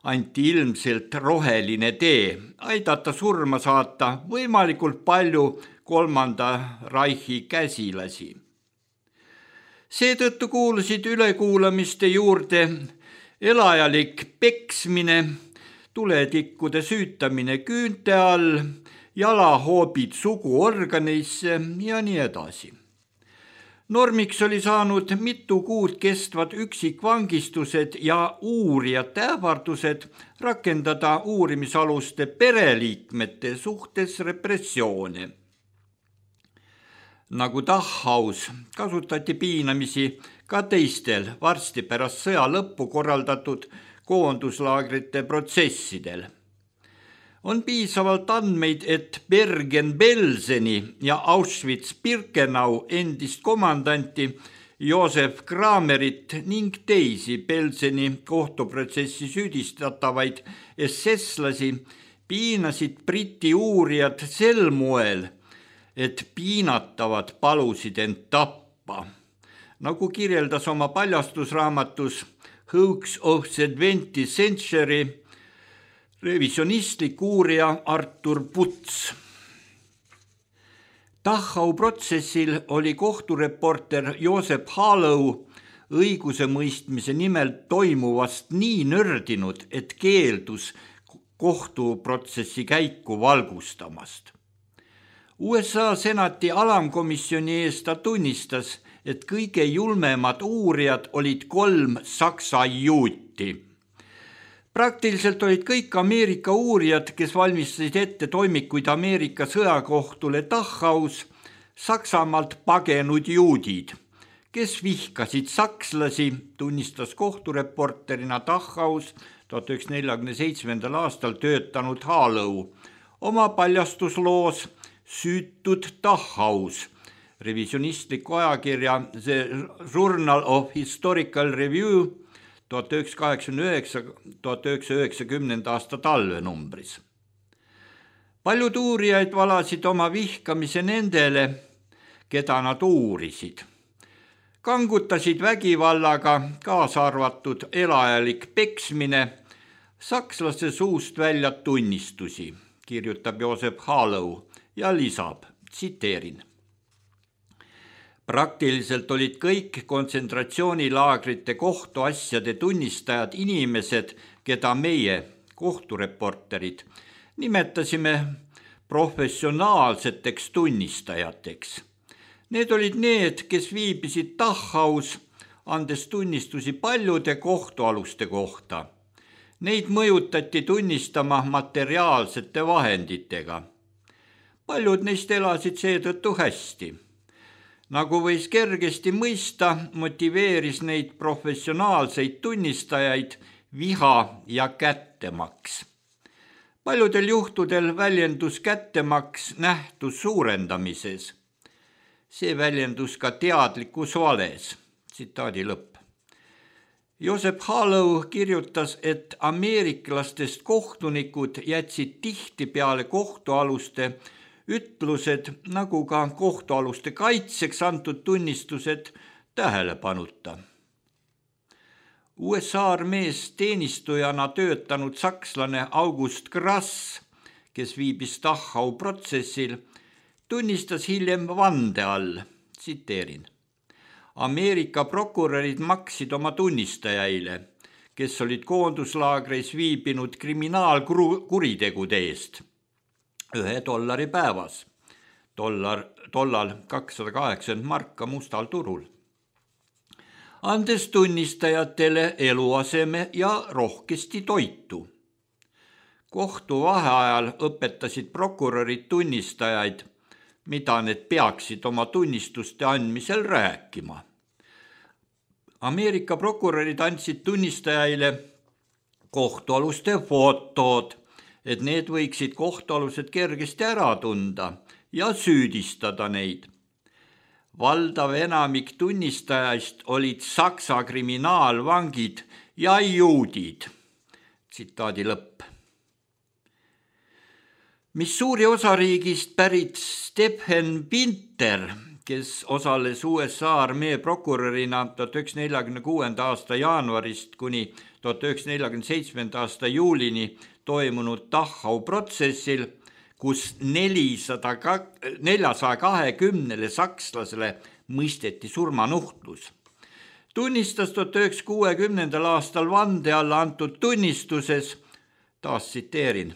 anti ilmselt roheline tee, aidata surma saata võimalikult palju kolmanda Reichi käsilasi. Seetõttu kuulusid ülekuulamiste juurde elajalik peksmine, tuletikkude süütamine küünte all, jalahoobid suguorganeisse ja nii edasi. Normiks oli saanud mitu kuud kestvad üksikvangistused ja uurijate ähvardused rakendada uurimisaluste pereliikmete suhtes repressioone. Nagu Dachaus kasutati piinamisi ka teistel varsti pärast sõja lõppu korraldatud koonduslaagrite protsessidel. On piisavalt andmeid, et Bergen-Belseni ja Auschwitz-Birkenau endist komandanti Josef Kramerit ning teisi Belseni kohtuprotsessi süüdistatavaid esesslasi piinasid Briti uurijad sel moel, et piinatavad palusid end tappa. Nagu kirjeldas oma paljastusraamatus Hoax of the twentieth Century revisionistlik uurija Artur Puts. Dachau protsessil oli kohtureporter Josep Hallow õigusemõistmise nimel toimuvast nii nördinud, et keeldus kohtuprotsessi käiku valgustamast. U S A senati alamkomisjoni eest ta tunnistas, et kõige julmemad uurijad olid kolm saksa juuti. Praktiliselt olid kõik Ameerika uurijad, kes valmistasid ette toimikuid Ameerika sõjakohtule Dachaus, Saksamaalt pagenud juudid, kes vihkasid sakslasi, tunnistas kohtureporterina Dachaus tuhat üheksasada neljakümne seitsmendal aastal töötanud Hallow oma paljastusloos Süütud Dachaus, revisionistliku ajakirja The Journal of Historical Review tuhat üheksasada kaheksakümmend üheksa tuhat üheksasada üheksakümmend aasta talvenumbris. Paljud uurijaid valasid oma vihkamise nendele, keda nad uurisid. Kangutasid vägivallaga, kaasa arvatud elajalik peksmine, sakslase suust välja tunnistusi, kirjutab Joseph Hallou ja lisab, tsiteerin. Praktiliselt olid kõik kontsentratsioonilaagrite kohtuasjade tunnistajad inimesed, keda meie, kohtureporterid, nimetasime professionaalseteks tunnistajateks. Need olid need, kes viibisid Dachaus, andes tunnistusi paljude kohtualuste kohta. Neid mõjutati tunnistama materiaalsete vahenditega. Paljud neist elasid seetõttu hästi. Nagu võis kergesti mõista, motiveeris neid professionaalseid tunnistajaid viha ja kättemaks. Paljudel juhtudel väljendus kättemaks nähtus suurendamises. See väljendus ka teadlikus vales. Tsitaadi lõpp. Joseph Hallou kirjutas, et ameeriklastest kohtunikud jätsid tihti peale kohtualuste ütlused, nagu ka kohtualuste kaitseks antud tunnistused tähelepanuta. U S A armees teenistujana töötanud sakslane August Grass, kes viibis Dachau protsessil, tunnistas hiljem vande all, tsiteerin. Ameerika prokurörid maksid oma tunnistajaile, kes olid koonduslaagreis viibinud kriminaalkuritegude eest, ühe dollari päevas, dollar, tollal kakssada kaheksakümmend marka mustal turul, andes tunnistajatele eluaseme ja rohkesti toitu. Kohtu vaheajal õpetasid prokurörid tunnistajaid, mida need peaksid oma tunnistuste andmisel rääkima. Ameerika prokurörid andsid tunnistajaile kohtualuste fotod, et need võiksid kohtualused kergesti ära tunda ja süüdistada neid. Valdav enamik tunnistajaist olid saksa kriminaalvangid ja juudid. Tsitaadi lõpp. Missouri osariigist pärit Stephen Pinter, kes osales U S A armee prokurörina tuhat üheksasada neljakümne kuuenda aasta jaanuarist kuni tuhat üheksasada neljakümne seitsmenda aasta juulini toimunud Dachau protsessil, kus neljsasaja kahekümnele sakslasele mõisteti surmanuhtlus. Tunnistas tuhat üheksasada kuuekümnendal aastal vande alla antud tunnistuses, taas tsiteerin,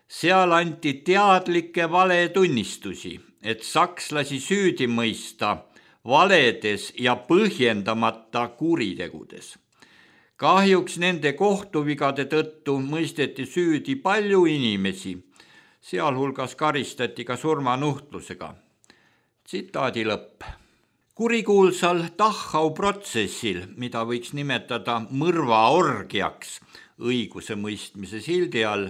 seal anti teadlikke valetunnistusi, et sakslasi süüdi mõista valedes ja põhjendamata kuritegudes. Kahjuks nende kohtuvigade tõttu mõisteti süüdi palju inimesi, sealhulgas karistati ka surmanuhtlusega. Tsitaadi lõpp. Kurikuulsal Dachau protsessil, mida võiks nimetada mõrvaorgiaks õiguse mõistmise sildi all,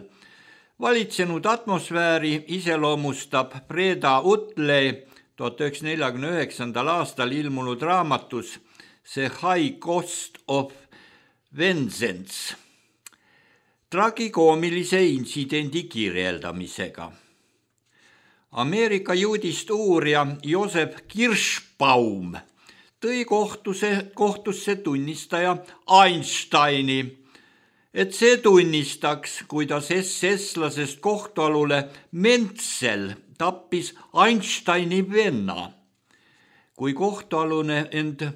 valitsenud atmosfääri iseloomustab Breda Utley tuhat üheksasada neljakümne üheksandal aastal ilmunud raamatus The High Cost of Vengeance tragikoomilise intsidendi kirjeldamisega. Ameerika juudist uurija Joseph Kirschbaum tõi kohtuse, kohtusse tunnistaja Einsteini, et see tunnistaks, kuidas S S-lasest kohtualule Menzel tappis Einsteini venna. Kui kohtualune end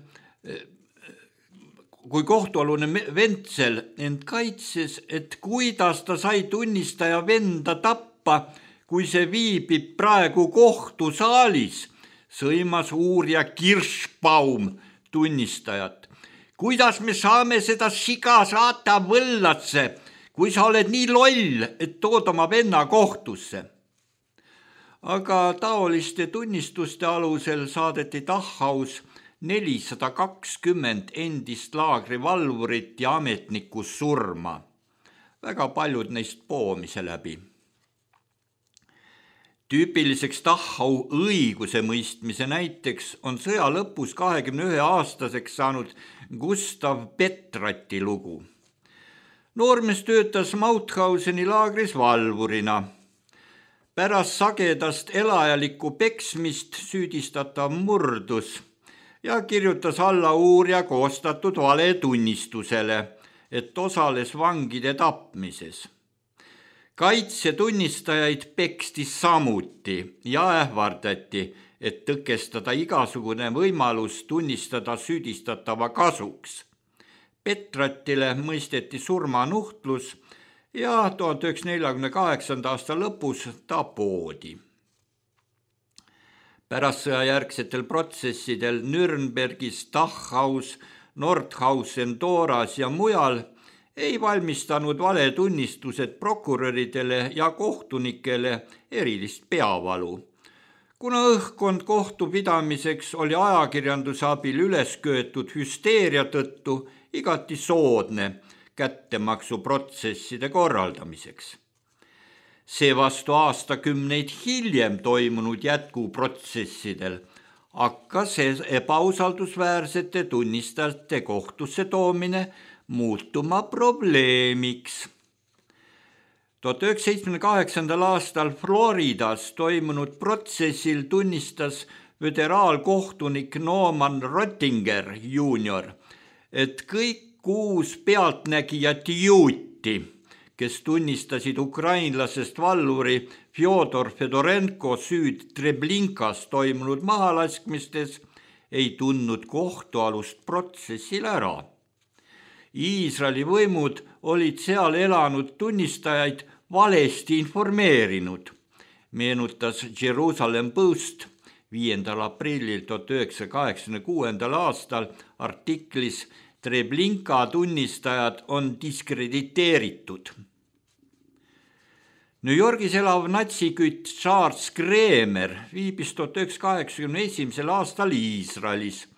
Kui kohtualune Menzel end kaitses, et kuidas ta sai tunnistaja venda tappa, kui see viibib praegu kohtusaalis, sõimas uurija Kirschbaum tunnistajat. Kuidas me saame seda siga saata võllasse, kui sa oled nii loll, et tood oma venna kohtusse? Aga taoliste tunnistuste alusel saadeti Dachaus nelisada kakskümmend endist laagrivalvurit ja ametnikku surma. Väga paljud neist poomise läbi. Tüüpiliseks Dachau õiguse mõistmise näiteks on sõja lõpus kahekümne ühe aastaseks saanud Gustav Petrati lugu. Noormees töötas Mauthauseni laagris valvurina. Pärast sagedast elajalikku peksmist süüdistatav murdus ja kirjutas alla uurija koostatud valetunnistusele, et osales vangide tapmises. Kaitsetunnistajaid peksti samuti ja ähvardati, et tõkestada igasugune võimalus tunnistada süüdistatava kasuks. Petratile mõisteti surmanuhtlus ja tuhande üheksasaja neljakümne kaheksanda aasta lõpus ta poodi. Pärast sõjajärgsetel protsessidel Nürnbergis, Dachaus, Nordhausen, Doras ja mujal ei valmistanud valetunnistused prokuröridele ja kohtunikele erilist peavalu. Kuna õhkkond kohtupidamiseks oli ajakirjanduse abil üles köetud hüsteeria tõttu igati soodne kättemaksuprotsesside korraldamiseks. Seevastu aastakümneid hiljem toimunud jätkuprotsessidel hakkas ebausaldusväärsete tunnistajate kohtusse toomine muutuma probleemiks. tuhat üheksasaja seitsmekümne kaheksandal aastal Floridas toimunud protsessil tunnistas föderaalkohtunik Norman Rottinger juunior, et kõik kuus pealtnägijat juuti, kes tunnistasid ukrainlasest valluri Fjodor Fedorenko süüd Treblinkas toimunud mahalaskmistes, ei tundnud kohtualust protsessil ära. Iisraeli võimud olid seal elanud tunnistajaid valesti informeerinud, meenutas Jerusalem Post viiendal aprillil tuhat üheksasaja kaheksakümne kuuendal aastal artiklis Treblinka tunnistajad on diskrediteeritud. New Yorgis elav natsikütt Charles Kremer viibis tuhat üheksasaja kaheksakümne esimesel aastal Iisraelis,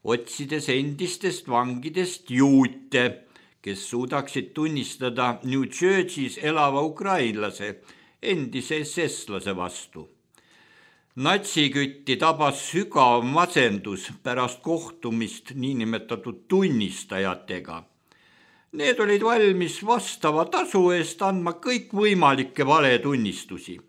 otsides endistest vangidest juute, kes suudaksid tunnistada New Jersey's elava ukrainlase, endise S S-lase vastu. Natsikütti tabas sügav masendus pärast kohtumist niinimetatud tunnistajatega. Need olid valmis vastava tasu eest andma kõik võimalikke valetunnistusi.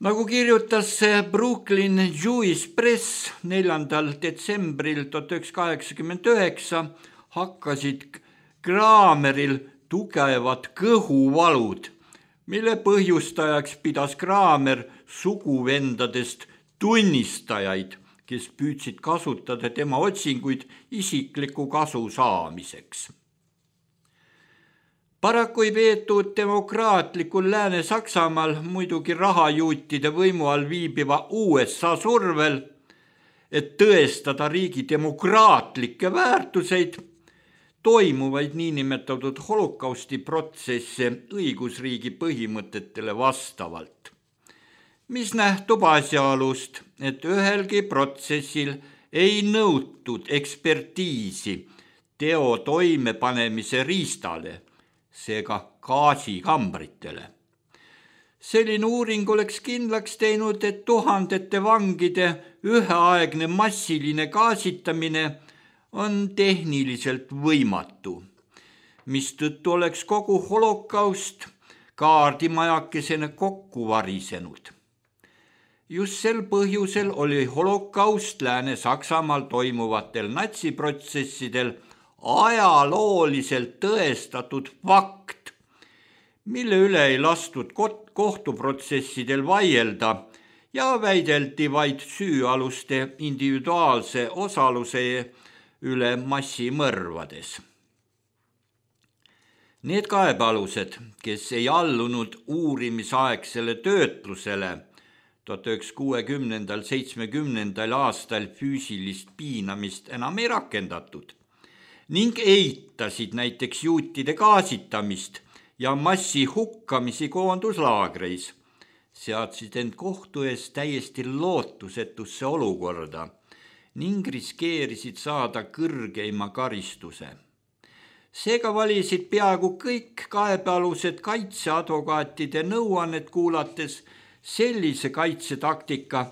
Nagu kirjutas Brooklyn Jewish Press neljandal detsembril tuhat üheksasada kaheksakümmend üheksa, hakkasid Krameril tugevad kõhuvalud, mille põhjustajaks pidas Kramer suguvendadest tunnistajaid, kes püüdsid kasutada tema otsinguid isikliku kasu saamiseks. Paraku ei peetud demokraatlikul Lääne-Saksamaal muidugi rahajuutide võimu all viibiva U S A survel, et tõestada riigi demokraatlikke väärtuseid, toimuvaid niinimetatud holokausti protsesse õigusriigi põhimõtetele vastavalt, mis nähtub asjaolust, et ühelgi protsessil ei nõutud ekspertiisi teo toimepanemise riistale, seega gaasikambritele. Selline uuring oleks kindlaks teinud, et tuhandete vangide üheaegne massiline gaasitamine on tehniliselt võimatu, mistõttu oleks kogu holokaust kaardimajakesena kokku varisenud. Just sel põhjusel oli holokaust Lääne-Saksamaal toimuvatel natsiprotsessidel ajalooliselt tõestatud fakt, mille üle ei lastud kohtuprotsessidel vaielda ja väideldi vaid süüaluste individuaalse osaluse üle massimõrvades. Need kaebealused, kes ei allunud uurimisaegsele töötlusele, tuhat üheksasaja kuuekümnendal seitsmekümnendal aastal füüsilist piinamist enam ei rakendatud ning eitasid näiteks juutide gaasitamist ja massi hukkamisi koonduslaagreis, seadsid end kohtu ees täiesti lootusetusse olukorda ning riskeerisid saada kõrgeima karistuse. Seega valisid peaaegu kõik kaebealused kaitseadvokaatide nõuannet kuulates sellise kaitsetaktika,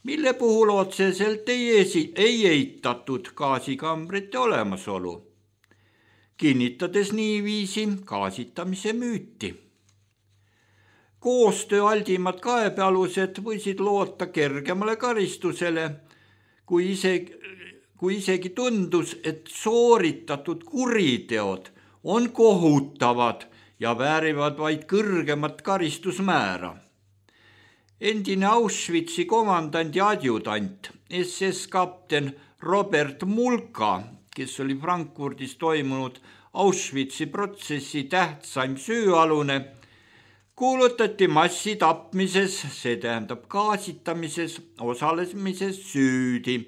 mille puhul otseselt ei, esi, ei eitatud gaasikambrite olemasolu, kinnitades niiviisi gaasitamise müüti. Koostööaldimad kaebealused võisid loota kergemale karistusele, kui isegi, kui isegi tundus, et sooritatud kuriteod on kohutavad ja väärivad vaid kõrgemat karistusmäära. Endine Auschwitzi komandant ja adjutant, S S kapten Robert Mulka, kes oli Frankfurdis toimunud Auschwitzi protsessi tähtsaim süüalune, kuulutati massitapmises, see tähendab gaasitamises, osalemises süüdi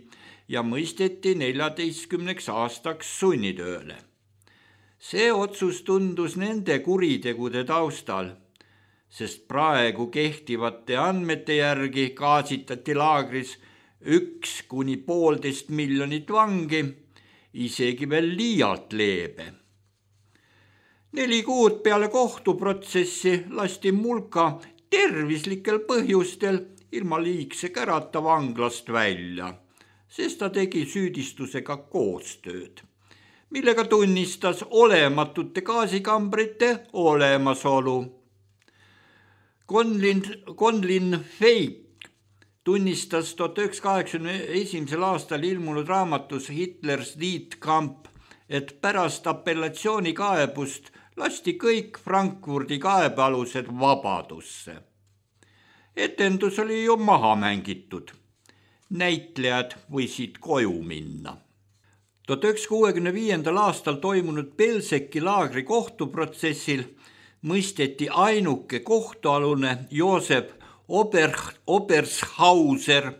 ja mõisteti neljateistkümneks aastaks sunnitööle. See otsus tundus nende kuritegude taustal, sest praegu kehtivate andmete järgi gaasitati laagris üks kuni poolteist miljonit vangi, isegi veel liialt leebe. Neli kuud peale kohtuprotsessi lasti Mulka tervislikel põhjustel ilma liigse kärata vanglast välja, sest ta tegi süüdistusega koostööd, millega tunnistas olematute gaasikambrite olemasolu. Conlin, Conlin Feik tunnistas tuhat üheksasada kaheksakümne esimesel aastal ilmunud raamatus Hitler's Death Camp, et pärast apellatsioonikaebust lasti kõik Frankfurdi kaebealused vabadusse. Etendus oli ju maha mängitud. Näitlejad võisid koju minna. tuhat üheksasada kuuekümne viiendal aastal toimunud Belzeki laagri kohtuprotsessil mõisteti ainuke kohtualune Joosep Ober, Obershauser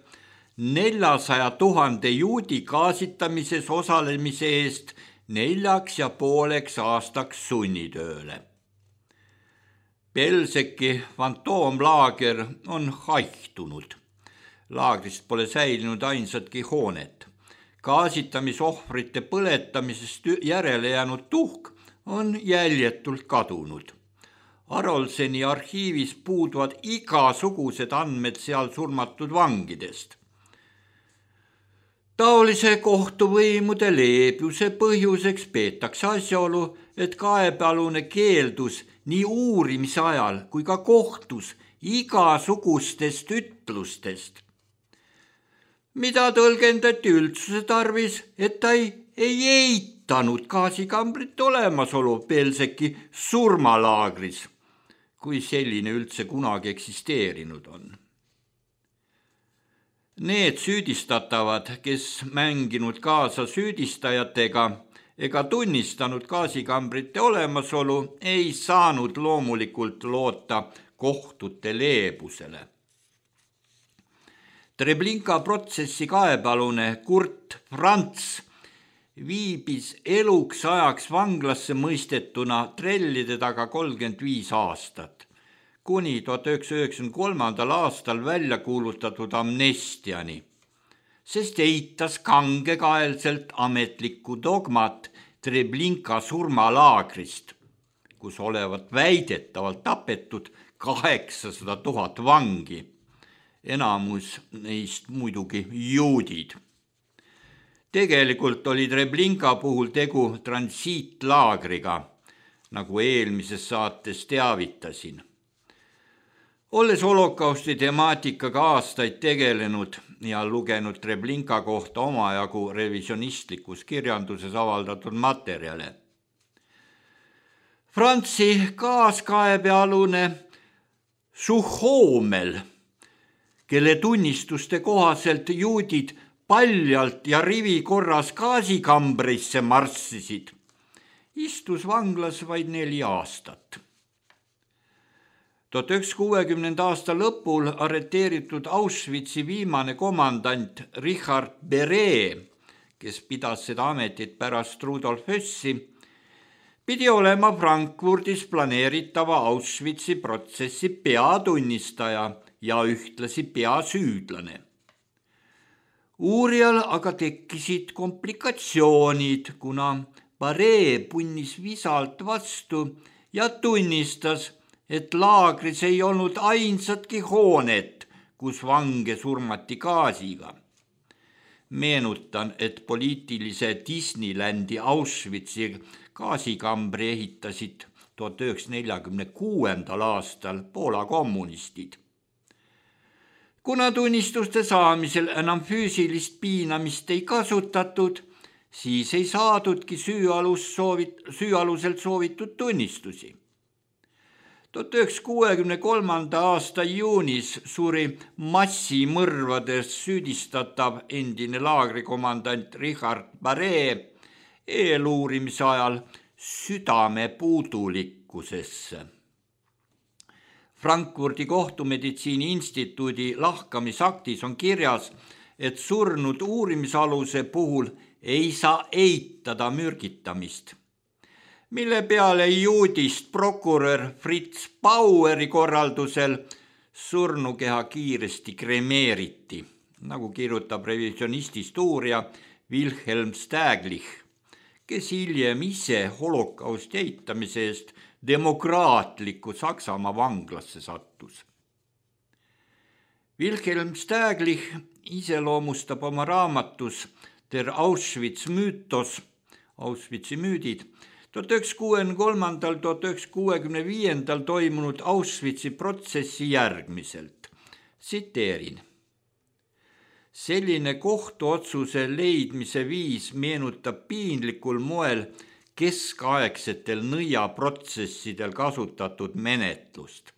neljasaja tuhande juudi gaasitamises osalemise eest neljaks ja pooleks aastaks sunnitööle. Belzeki fantoomlaager on haihtunud. Laagrist pole säilinud ainsatki hoonet. Gaasitamisohvrite põletamisest järele jäänud tuhk on jäljetult kadunud. Arolseni arhiivis puuduvad igasugused andmed seal surmatud vangidest. Taolise kohtuvõimude leebuse põhjuseks peetakse asjaolu, et kaebealune keeldus nii uurimise ajal kui ka kohtus igasugustest ütlustest, mida tõlgendati üldsuse tarvis, et ta ei, ei eitanud gaasikambrite olemasolu Belzeki surmalaagris, kui selline üldse kunagi eksisteerinud on. Need süüdistatavad, kes mänginud kaasa süüdistajatega ega tunnistanud gaasikambrite olemasolu, ei saanud loomulikult loota kohtute leebusele. Treblinka protsessi kaebealune Kurt Franz viibis eluks ajaks vanglasse mõistetuna trellide taga kolmkümmend viis aastat, kuni tuhat üheksasada üheksakümne kolmandal aastal välja kuulutatud amnestiani, sest eitas kangekaelselt ametlikku dogmat Treblinka surmalaagrist, kus olevat väidetavalt tapetud kaheksasada tuhat vangi, enamus neist muidugi juudid. Tegelikult oli Treblinka puhul tegu transiitlaagriga, nagu eelmises saates teavitasin. Olles holokausti temaatikaga aastaid tegelenud ja lugenud Treblinka kohta omajagu revisionistlikus kirjanduses avaldatud materjale. Franzi kaaskaebealune Suhhoomel, kelle tunnistuste kohaselt juudid paljalt ja rivi korras gaasikambrisse marssisid, istus vanglas vaid neli aastat. tuhat üheksasada kuuekümnenda aasta lõpul arreteeritud Auschwitzi viimane komandant Richard Beret, kes pidas seda ametit pärast Rudolf Hössi, pidi olema Frankfurdis planeeritava Auschwitzi protsessi peatunnistaja ja ühtlasi peasüüdlane. Uurijal aga tekkisid komplikatsioonid, kuna Barré punnis visalt vastu ja tunnistas, et laagris ei olnud ainsatki hoonet, kus vange surmati gaasiga. Meenutan, et poliitilise Disneylandi Auschwitzi gaasikambri ehitasid tuhat üheksasaja neljakümne kuuendal aastal Poola kommunistid. Kuna tunnistuste saamisel enam füüsilist piinamist ei kasutatud, siis ei saadudki süüalus soovit, süüaluselt soovitud tunnistusi. tuhat üheksasaja kuuekümne kolmanda aasta juunis suri massimõrvades süüdistatav endine laagrikomandant Richard Barré eeluurimise ajal südame puudulikkusesse. Frankfurdi kohtumeditsiini instituudi lahkamisaktis on kirjas, et surnud uurimisaluse puhul ei saa eitada mürgitamist, mille peale juudist prokurör Fritz Baueri korraldusel surnukeha kiiresti kremeeriti, nagu kirjutab revisionistist uurija Wilhelm Staglich, kes hiljem ise holokausti eitamise eest demokraatliku Saksamaa vanglasse sattus. Wilhelm Staglich iseloomustab oma raamatus Der Auschwitz müütos, Auschwitzi müüdid, tuhat üheksasaja kuuekümne kolmandal – tuhat üheksasaja kuuekümne viiendal toimunud Auschwitzi protsessi järgmiselt. Tsiteerin. Selline kohtuotsuse leidmise viis meenutab piinlikul moel keskaegsetel nõiaprotsessidel kasutatud menetlust.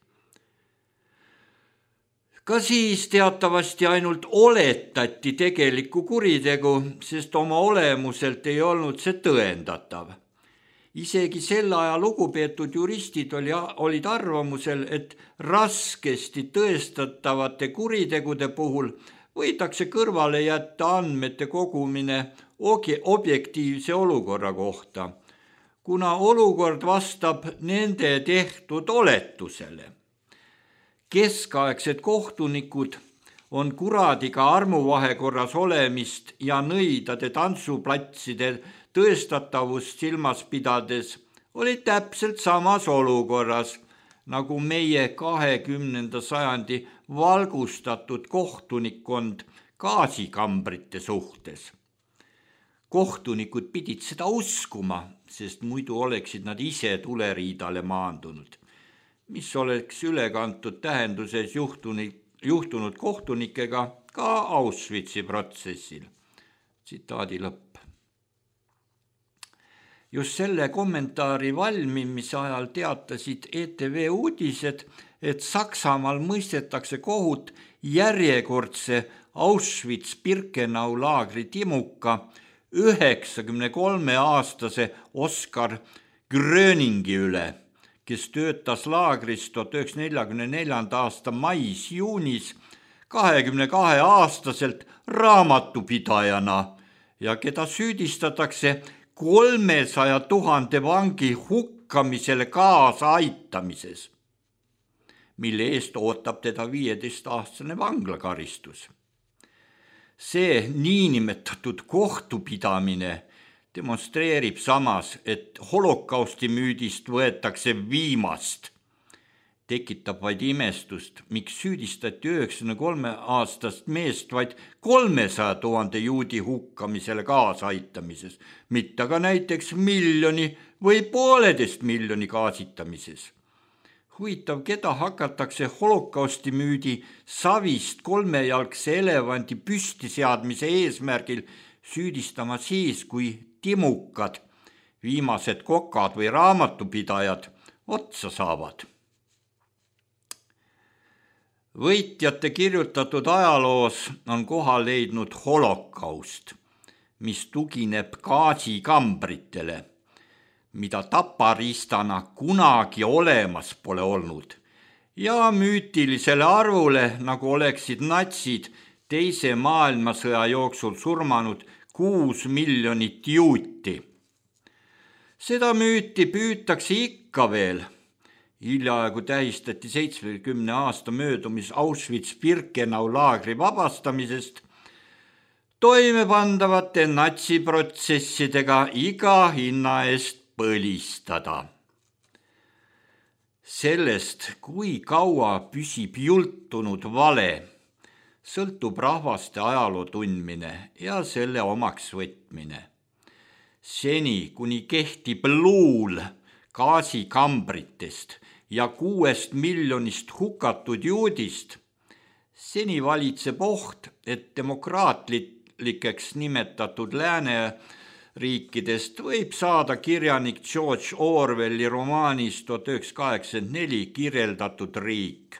Ka siis teatavasti ainult oletati tegelikku kuritegu, sest oma olemuselt ei olnud see tõendatav. Isegi sel aja lugupeetud juristid oli, olid arvamusel, et raskesti tõestatavate kuritegude puhul võidakse kõrvale jätta andmete kogumine objektiivse olukorra kohta, kuna olukord vastab nende tehtud oletusele. Keskaegsed kohtunikud on kuradiga armuvahekorras olemist ja nõidade tantsuplatside tõestatavust silmas pidades oli täpselt samas olukorras, nagu meie kahekümnenda sajandi valgustatud kohtunikkond gaasikambrite suhtes. Kohtunikud pidid seda uskuma, sest muidu oleksid nad ise tuleriidale maandunud, mis oleks ülekantud tähenduses juhtunud, juhtunud kohtunikega ka Auschwitzi protsessil. Tsitaadi lõpp. Just selle kommentaari valmimise ajal teatasid E T V uudised, et Saksamaal mõistetakse kohut järjekordse Auschwitz-Birkenau laagri timuka üheksakümne kolme aastase Oskar Gröningi üle, kes töötas laagris tuhat üheksasaja neljakümne neljanda aasta mais-juunis kahekümne kahe aastaselt raamatupidajana ja keda süüdistatakse kolmesaja tuhande vangi hukkamisele kaasa aitamises, mille eest ootab teda viieteistaastane vanglakaristus. See niinimetatud kohtupidamine demonstreerib samas, et holokausti müüdist võetakse viimast. Tekitab vaid imestust, miks süüdistati üheksakümne kolme aastast meest vaid kolmesaja tuhande juudi hukkamisele kaasaaitamises, mitte ka näiteks miljoni või pooleteist miljoni kaasitamises. Huvitav, keda hakatakse holokausti müüdi savist kolmejalgse elevandi püstiseadmise eesmärgil süüdistama siis, kui timukad, viimased kokad või raamatupidajad otsa saavad. Võitjate kirjutatud ajaloos on koha leidnud holokaust, mis tugineb gaasikambritele, mida taparistana kunagi olemas pole olnud, ja müütilisele arvule, nagu oleksid natsid teise maailmasõja jooksul surmanud kuus miljonit juuti. Seda müüti püütakse ikka veel. Hiljaaegu tähistati seitsmekümne aasta möödumis Auschwitz-Birkenau laagri vabastamisest. toimepandavate natsiprotsessidega iga hinna eest põlistada. Sellest, kui kaua püsib jultunud vale, sõltub rahvaste ajaloo tundmine ja selle omaks võtmine. Seni, kuni kehtib luul gaasikambritest ja kuuest miljonist hukatud juudist, seni valitseb oht, et demokraatlikeks nimetatud lääne riikidest võib saada kirjanik George Orwelli romaanis tuhat üheksasada kaheksakümmend neli kirjeldatud riik.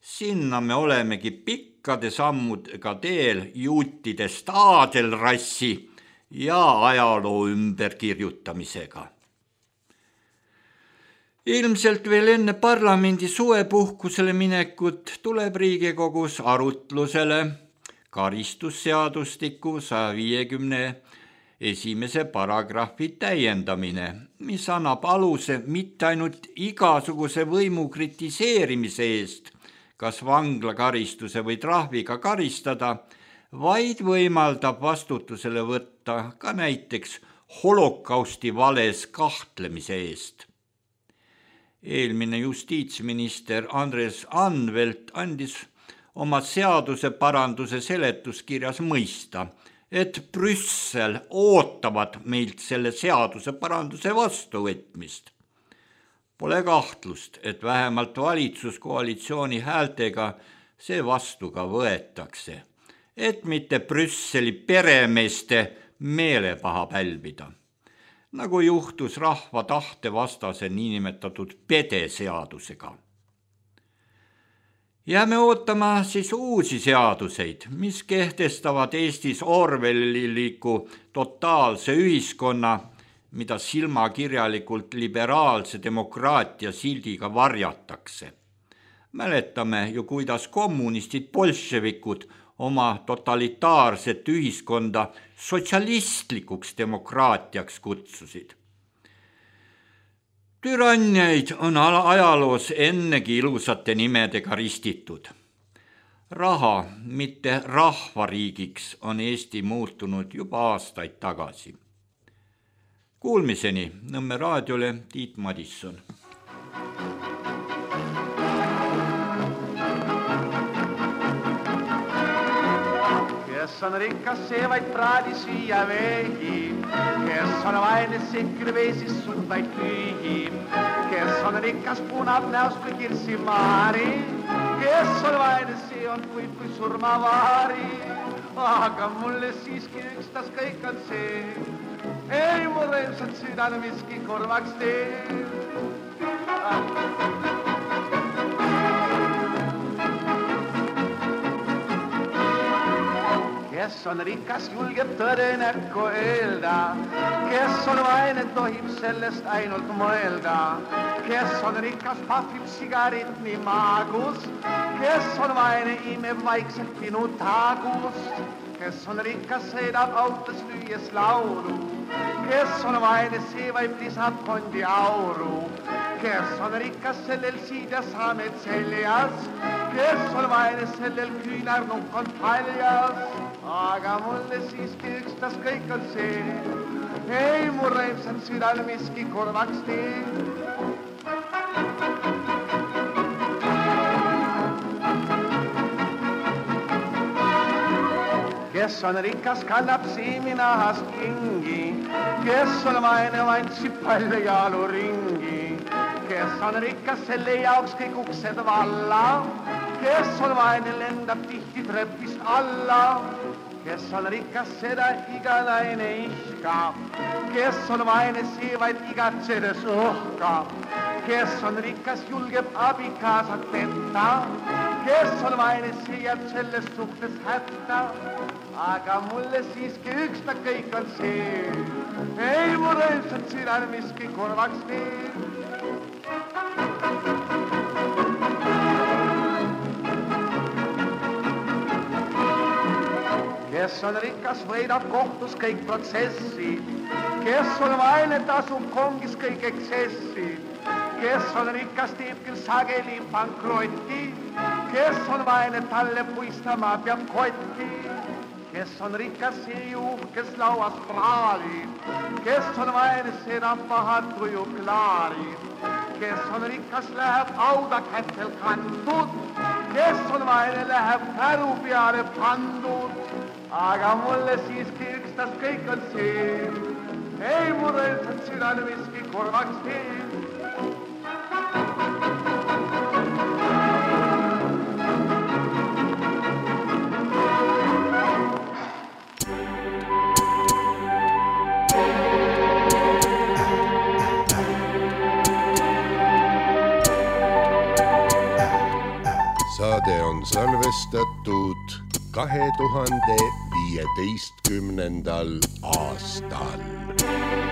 Sinna me olemegi pikkade sammudega teel juutidest aadelrassi ja ajaloo ümberkirjutamisega. Ilmselt veel enne parlamendi suvepuhkusele minekut tuleb Riigikogus arutlusele karistusseadustiku saja viiekümne esimese paragrahvi täiendamine, mis annab aluse mitte ainult igasuguse võimu kritiseerimise eest, kas vanglakaristuse või trahviga karistada, vaid võimaldab vastutusele võtta ka näiteks holokausti vales kahtlemise eest. Eelmine justiitsminister Andres Anvelt andis oma seaduse paranduse seletuskirjas mõista, et Brüssel ootavad meilt selle seaduse paranduse vastuvõtmist. Pole kahtlust, et vähemalt valitsuskoalitsiooni häältega see vastu ka võetakse, et mitte Brüsseli peremeeste meelepaha pälvida, nagu juhtus rahva tahte vastase niinimetatud pedeseadusega. Jääme ootama siis uusi seaduseid, mis kehtestavad Eestis orwelliliku totaalse ühiskonna, mida silmakirjalikult liberaalse demokraatia sildiga varjatakse. Mäletame ju, kuidas kommunistid bolševikud oma totalitaarset ühiskonda sotsialistlikuks demokraatiaks kutsusid. Türanniaid on ajaloos ennegi ilusate nimedega ristitud. Raha, mitte rahvariigiks, on Eesti muutunud juba aastaid tagasi. Kuulmiseni Nõmme raadiole Tiit Madisson. Kes on rikas, see vaid praadi süüa veegi, kes on vaene, see küll veesis suud vaid tüügi, kes on rikas, punab näost kui kirsimaari, kes on vaene, see on kuid kui surmavaari, aga mulle siiski ükstas kõik on see, ei mu rõõmsat südane miski korvaks tee. Kes on rikas, julgeb tõde näkku öelda, kes on vaene, tohib sellest ainult mõelda, kes on rikas, pahvib sigarit nii maagus, kes on vaene, imeb vaikselt pinu taagust, kes on rikas, sõidab autos lüües laulu, kes on vaene, see vaid lisab fondi auru, kes on rikas, sellel siidja saamed seljas, kes on vaene, sellel küünarnukk on paljas, aga mulle siiski ükstas kõik on see, ei mu rõõmsat südal miski korvaks tee. Kes on rikas, kannab siiminahast kingi, kes on vaene, vantsib palju jaaluringi, kes on rikas, selle jaoks kõik uksed valla, kes on vaene, lendab tihti trepist alla, kes on rikas, seda iga naine ihka, kes on vaene, see vaid igatsedes uhka, kes on rikas, julgeb abikaasat petta, kes on vaene, see jääb sellest suhtes hätta, aga mulle siiski üksta kõik on see, ei mu rõõmsat südal miski korvaks tee. Kes on rikas, võidab kohtus kõik protsessi, kes on vaene, tasub kongis kõik eksessi, kes on rikas, teeb küll sageli pankrotti, kes on vaene, talle puistama peab kotti, kes on rikas seejuh, kes lauas praalib, kes on vaene, seda paha tuju klaarib, kes on rikas, läheb auda kätel kantud, kes on vaene, läheb käru peale pandud, aga mulle siiski ükstas kõik on see, ei mulle üldsed südane miski korvaks tee. Saade on salvestatud kahe tuhande viieteistkümnendal aastal.